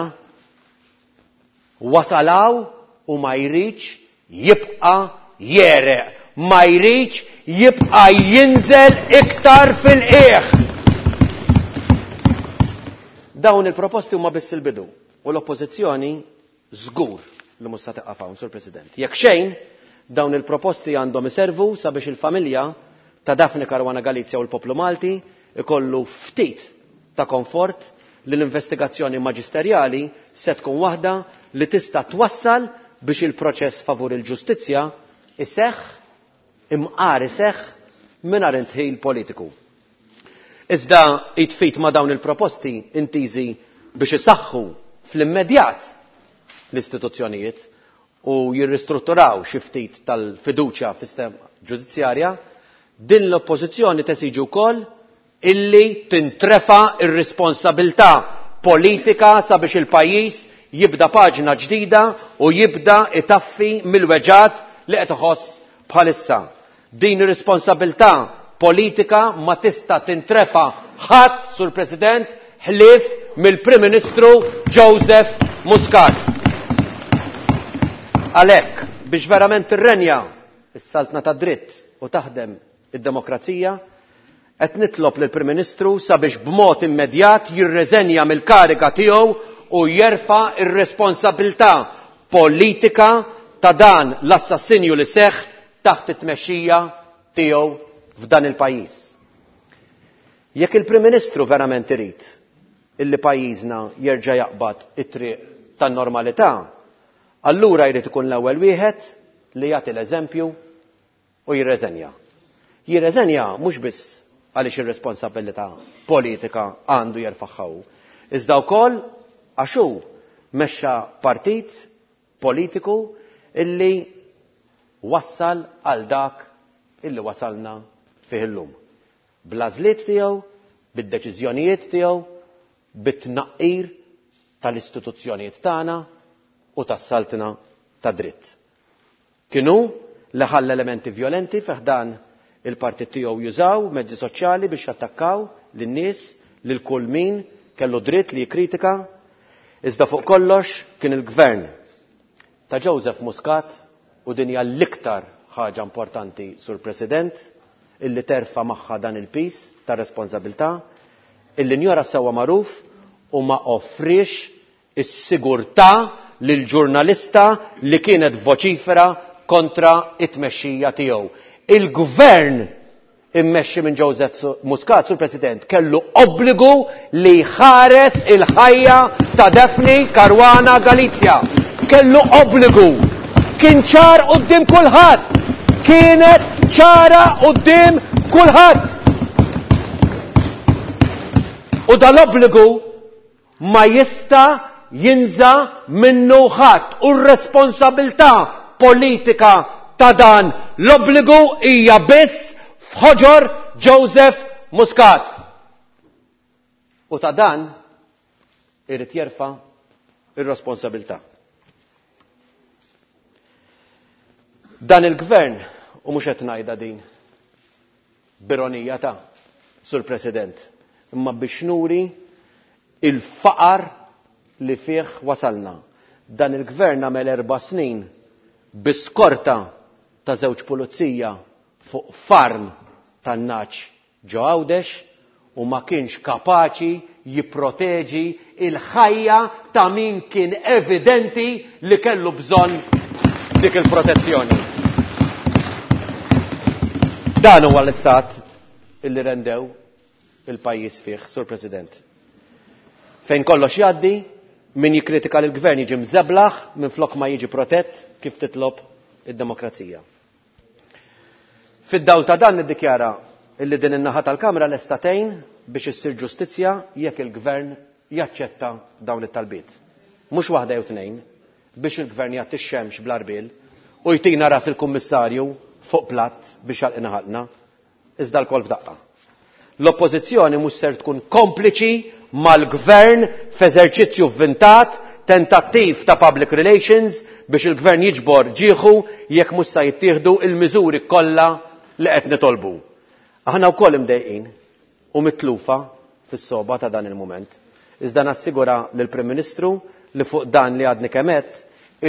wasalaw u ma jridx jibqa' jereq, ma jridx jibqa' jinżel iktar fil-qiegħ. Dawn il-proposti huma biss il-bidu u l-Oppożizzjoni żgur li mhux se tieqaf hawn, Sur President. Jekk xejn, dawn il-proposti għandhom iservu sabiex il-familja ta' Daphne Caruana Galizia u l-poplu Malti ikollu ftit ta' konfort li l-investigazzjoni maġisterjali se tkun waħda li tista' twassal biex il-proċess favur il-ġustizzja iseħħ, imqar iseħħ mingħajr intħil politiku. Iżda jitfit ma' dawn il-proposti intiżi biex isaħħu fl-immedjat l-istituzzjonijiet u jirristrutturaw xi ftit tal-fiduċja fis-sistema ġudizzjarja, din l-oppożizzjoni tesiġi wkoll illi tintrefa ir-responsabilità politika sabiex il-pajjiż jibda paġna ġdida u jibda itaffi mill-weġgħat li qed iħoss bħalissa. Din ir-responsabilità politika ma tista' tintrefa ħadd, Sur President, ħlief mill-Prim Ministru Joseph Muscat. Għalhekk, biex verament tirrenja s-saltna ta' dritt u taħdem id-demokrazija, qed nitlob lill-Prim Ministru sabiex b'mod immedjat jirreżenja mill-kariga tiegħu u jerfa' r-responsabilità politika ta' dan l-assassinju li seħħ taħt it-tmexxija tiegħu f'dan il-pajjiż. Jekk il-Prim Ministru verament irid illi pajjiżna jerġa' jaqbad it-triq tan-normalità, allura jrid ikun l-ewwel wieħed li jagħti l-eżempju u jirreżenja. Jirreżenja mhux biss għaliex ir-responsabilità politika għandu jerfagħha hu, iżda wkoll għax hu mexxa partit politiku illi wassal għal dak illi wasalna fih illum. Bl-għażliet tiegħu, Bid-deċiżjonijiet tiegħu, bit-tnaqqir tal-istituzzjonijiet tagħna u tas-saltna ta' dritt. Kien hu li ħalla elementi vjolenti fi ħdan il-partit tiegħu jużaw mezzi soċjali biex jattakkaw lin-nies, lil kull min kellu dritt li jikkritika, iżda fuq kollox kien il-gvern ta' Joseph Muscat u din hija l-iktar ħaġa importanti, Sur President, illi terfa' magħha dan il-piż ta' responsabilità, illi njora s-sewwa magħruf u ma offriex is-sigurtà lill-ġurnalista li kienet voċifera kontra t-tmexxija tiegħu. Il-Gvern immexxi minn Joseph Muscat, Sur President, kellu obbligu li jħares il-ħajja ta' Daphne Caruana Galizia. Kellu obbligu. Kien ċar quddiem kulħadd. Kienet ċara quddiem kulħadd. U dal-obbligu ma jista' jinża' minnu ħadd u r-responsabilità politika ta' dan l-obbligu hija biss f'ħoġor Joseph Muscat. U ta' dan irid jerfa' r-responsabilità. Dan il-Gvern, u mhux qed ngħidha din b'ironija ta', Sur President, imma biex nuri il-faqar li fih wasalna. Dan il-Gvern għamel erba' snin bi skorta ta' żewġ pulizija fuq farm tan-nagħaġ ġo Għawdex u ma kienx kapaċi jipproteġi l-ħajja ta' min kien evidenti li kellu bżonn dik il-protezzjoni. Dan huwa l-istat illi rendew il-pajjiż fih, Sur President. Fejn kollox jgħaddi, min jikkritika lill-Gvern jiġi mżeblaħ minflok ma jiġi protett kif titlob id-demokrazija. Fid-dawl ta' dan niddikjara illi din in-naħa tal-Kamra lesta tgħin biex issir ġustizzja jekk il-Gvern jaċċetta dawn it-talbiet. Mhux waħda jew tnejn, biex il-Gvern jgħatti x-xemx bl-għarbiel u jtina ras il-Kummissarju fuq platt biex jagħlqina ħalqna. iżda lkoll f'daqqa. L-Oppożizzjoni mhux ser tkun kompliċi mal-Gvern f'eżerċizzju vvintat, tentattiv ta' public relations biex il-Gvern jiġbor ġieħu jekk mhux sa jittieħdu l-miżuri kollha li qed nitolbu. Aħna wkoll imdejqin u mitlufa fis-sogħba ta' dan il-mument. Iżda nassigura lill-Prim Ministru li fuq dan li għadni kemm għedt,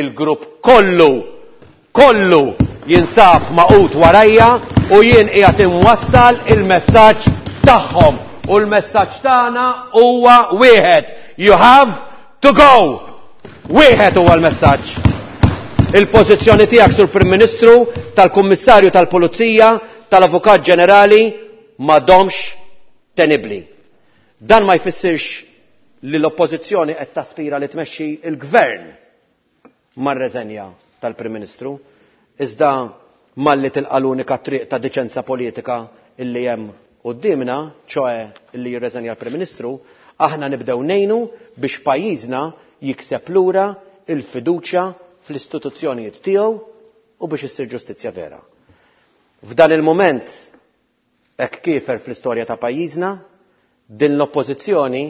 il-grupp kollu, kollu jinsab magħqud warajja u jien qiegħed inwassal il-messaġġ tagħhom. U l-messaġġ tagħna huwa wieħed, you have to go! Wieħed huwa l-messaġġ. Il-pożizzjoni tiegħek, Sur Prim Ministru, tal-Kummissarju tal-Pulizija, tal-Avukat Ġenerali m'għadhomx tenibbli. Dan ma jfissirx li l-Oppożizzjoni qed taspira li tmexxi l-Gvern mar-reżenja tal-Prim Ministru, iżda malli tilqa' l-unika triq ta' diċenza politika illi hemm quddiemna, ċoe illi jirreżenja l-Prim Ministru, aħna nibdew ngħinu biex pajjiżna jikseb lura l-fiduċja fl-istituzzjonijiet tiegħu u biex issir ġustizzja vera. F'dan il-mument Hekk kiefer fl-istorja ta' pajjiżna, din l-Oppożizzjoni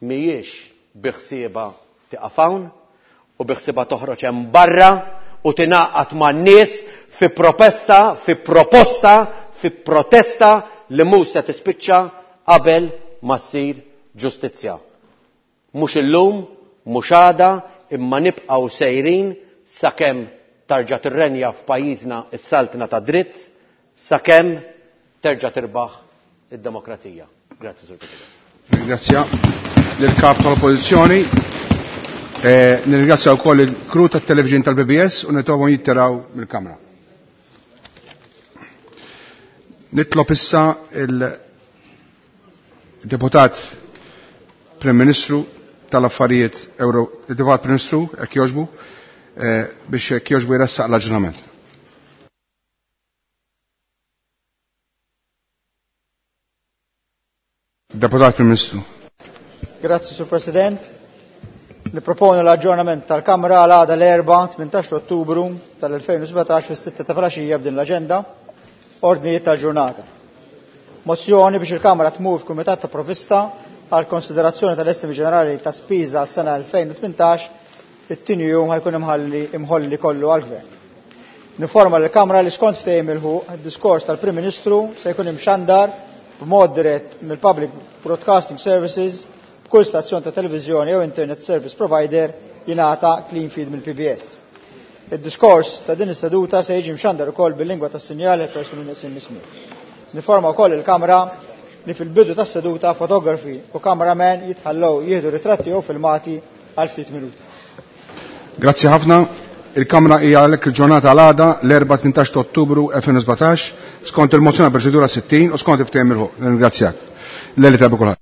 mhijiex bi ħsiebha tieqaf hawn u bi ħsiebha toħroġ hemm barra u tingħaqad man-nies fi propesta, fi proposta, fi protesta li mhux se tispiċċa qabel ma ssir ġustizzja. Mhux illum, mhux għada, imma nibqgħu sejrin sakemm tarġa' tirrenja f'pajjiżna s-saltna tad-dritt, sakemm terġa' tirbaħ id-demokrazija. Grazzi, Sur President. Nirringrazzja lill-Kap tal-Oppożizzjoni. Eh, nirringrazzja wkoll il-kru tat-television tal-PBS u nitolbhom jittiraw mill-Kamra. Nitlob issa il-Deputat Prim Ministru tal-Affarijiet Euro, il-Deputat Prim Ministru, jekk jogħġbu, eh, biex jekk jogħġbu jressaq l-aġġornament. Deputat Prim Ministru. Grazzi, Sur President. Niproponu l-aġġornament tal-Kamra għal għada l-Erbgħa 18 Ottubru tal-2017 fis-sitta ta' filgħaxija b'din l-aġenda. Ordnijiet tal-ġurnata. Mozzjoni biex il-Kamra tmur f'Kumitat ta' Provista għal konsiderazzjoni tal-estimi ġenerali ta' spiża għas-sena 2018 it-tieni jum ħajkun imħalli imħolli kollu għall-Gvern. Niforma l-Kamra li skont ftehim il-ħuq id-diskors tal-Prim Ministru se jkun imxandar b'mod dirett mill-Public Broadcasting Services b'kull stazzjon ta' televiżjoni jew internet service provider jingħata clean feed mill-PBS. Id-diskors ta' din is-seduta se jiġi mxandar ukoll bil-lingwa tas-sinjali għal persuni neqsin mismi. Niforma wkoll il-Kamra li fil-bidu tas-seduta fotografi u cameraman jitħallew jieħdu ritratti jew filmati għal ftit minuti. Grazzi ħafna. Il-Kamra hija għalhekk il-ġurnata għal-għada l-4 18 Ottubru 2017 skont il-mozzjoni proċedura 60 u skont il-ftehim il-ħuq. Ringrazzjak. Leli ta' kulħadd.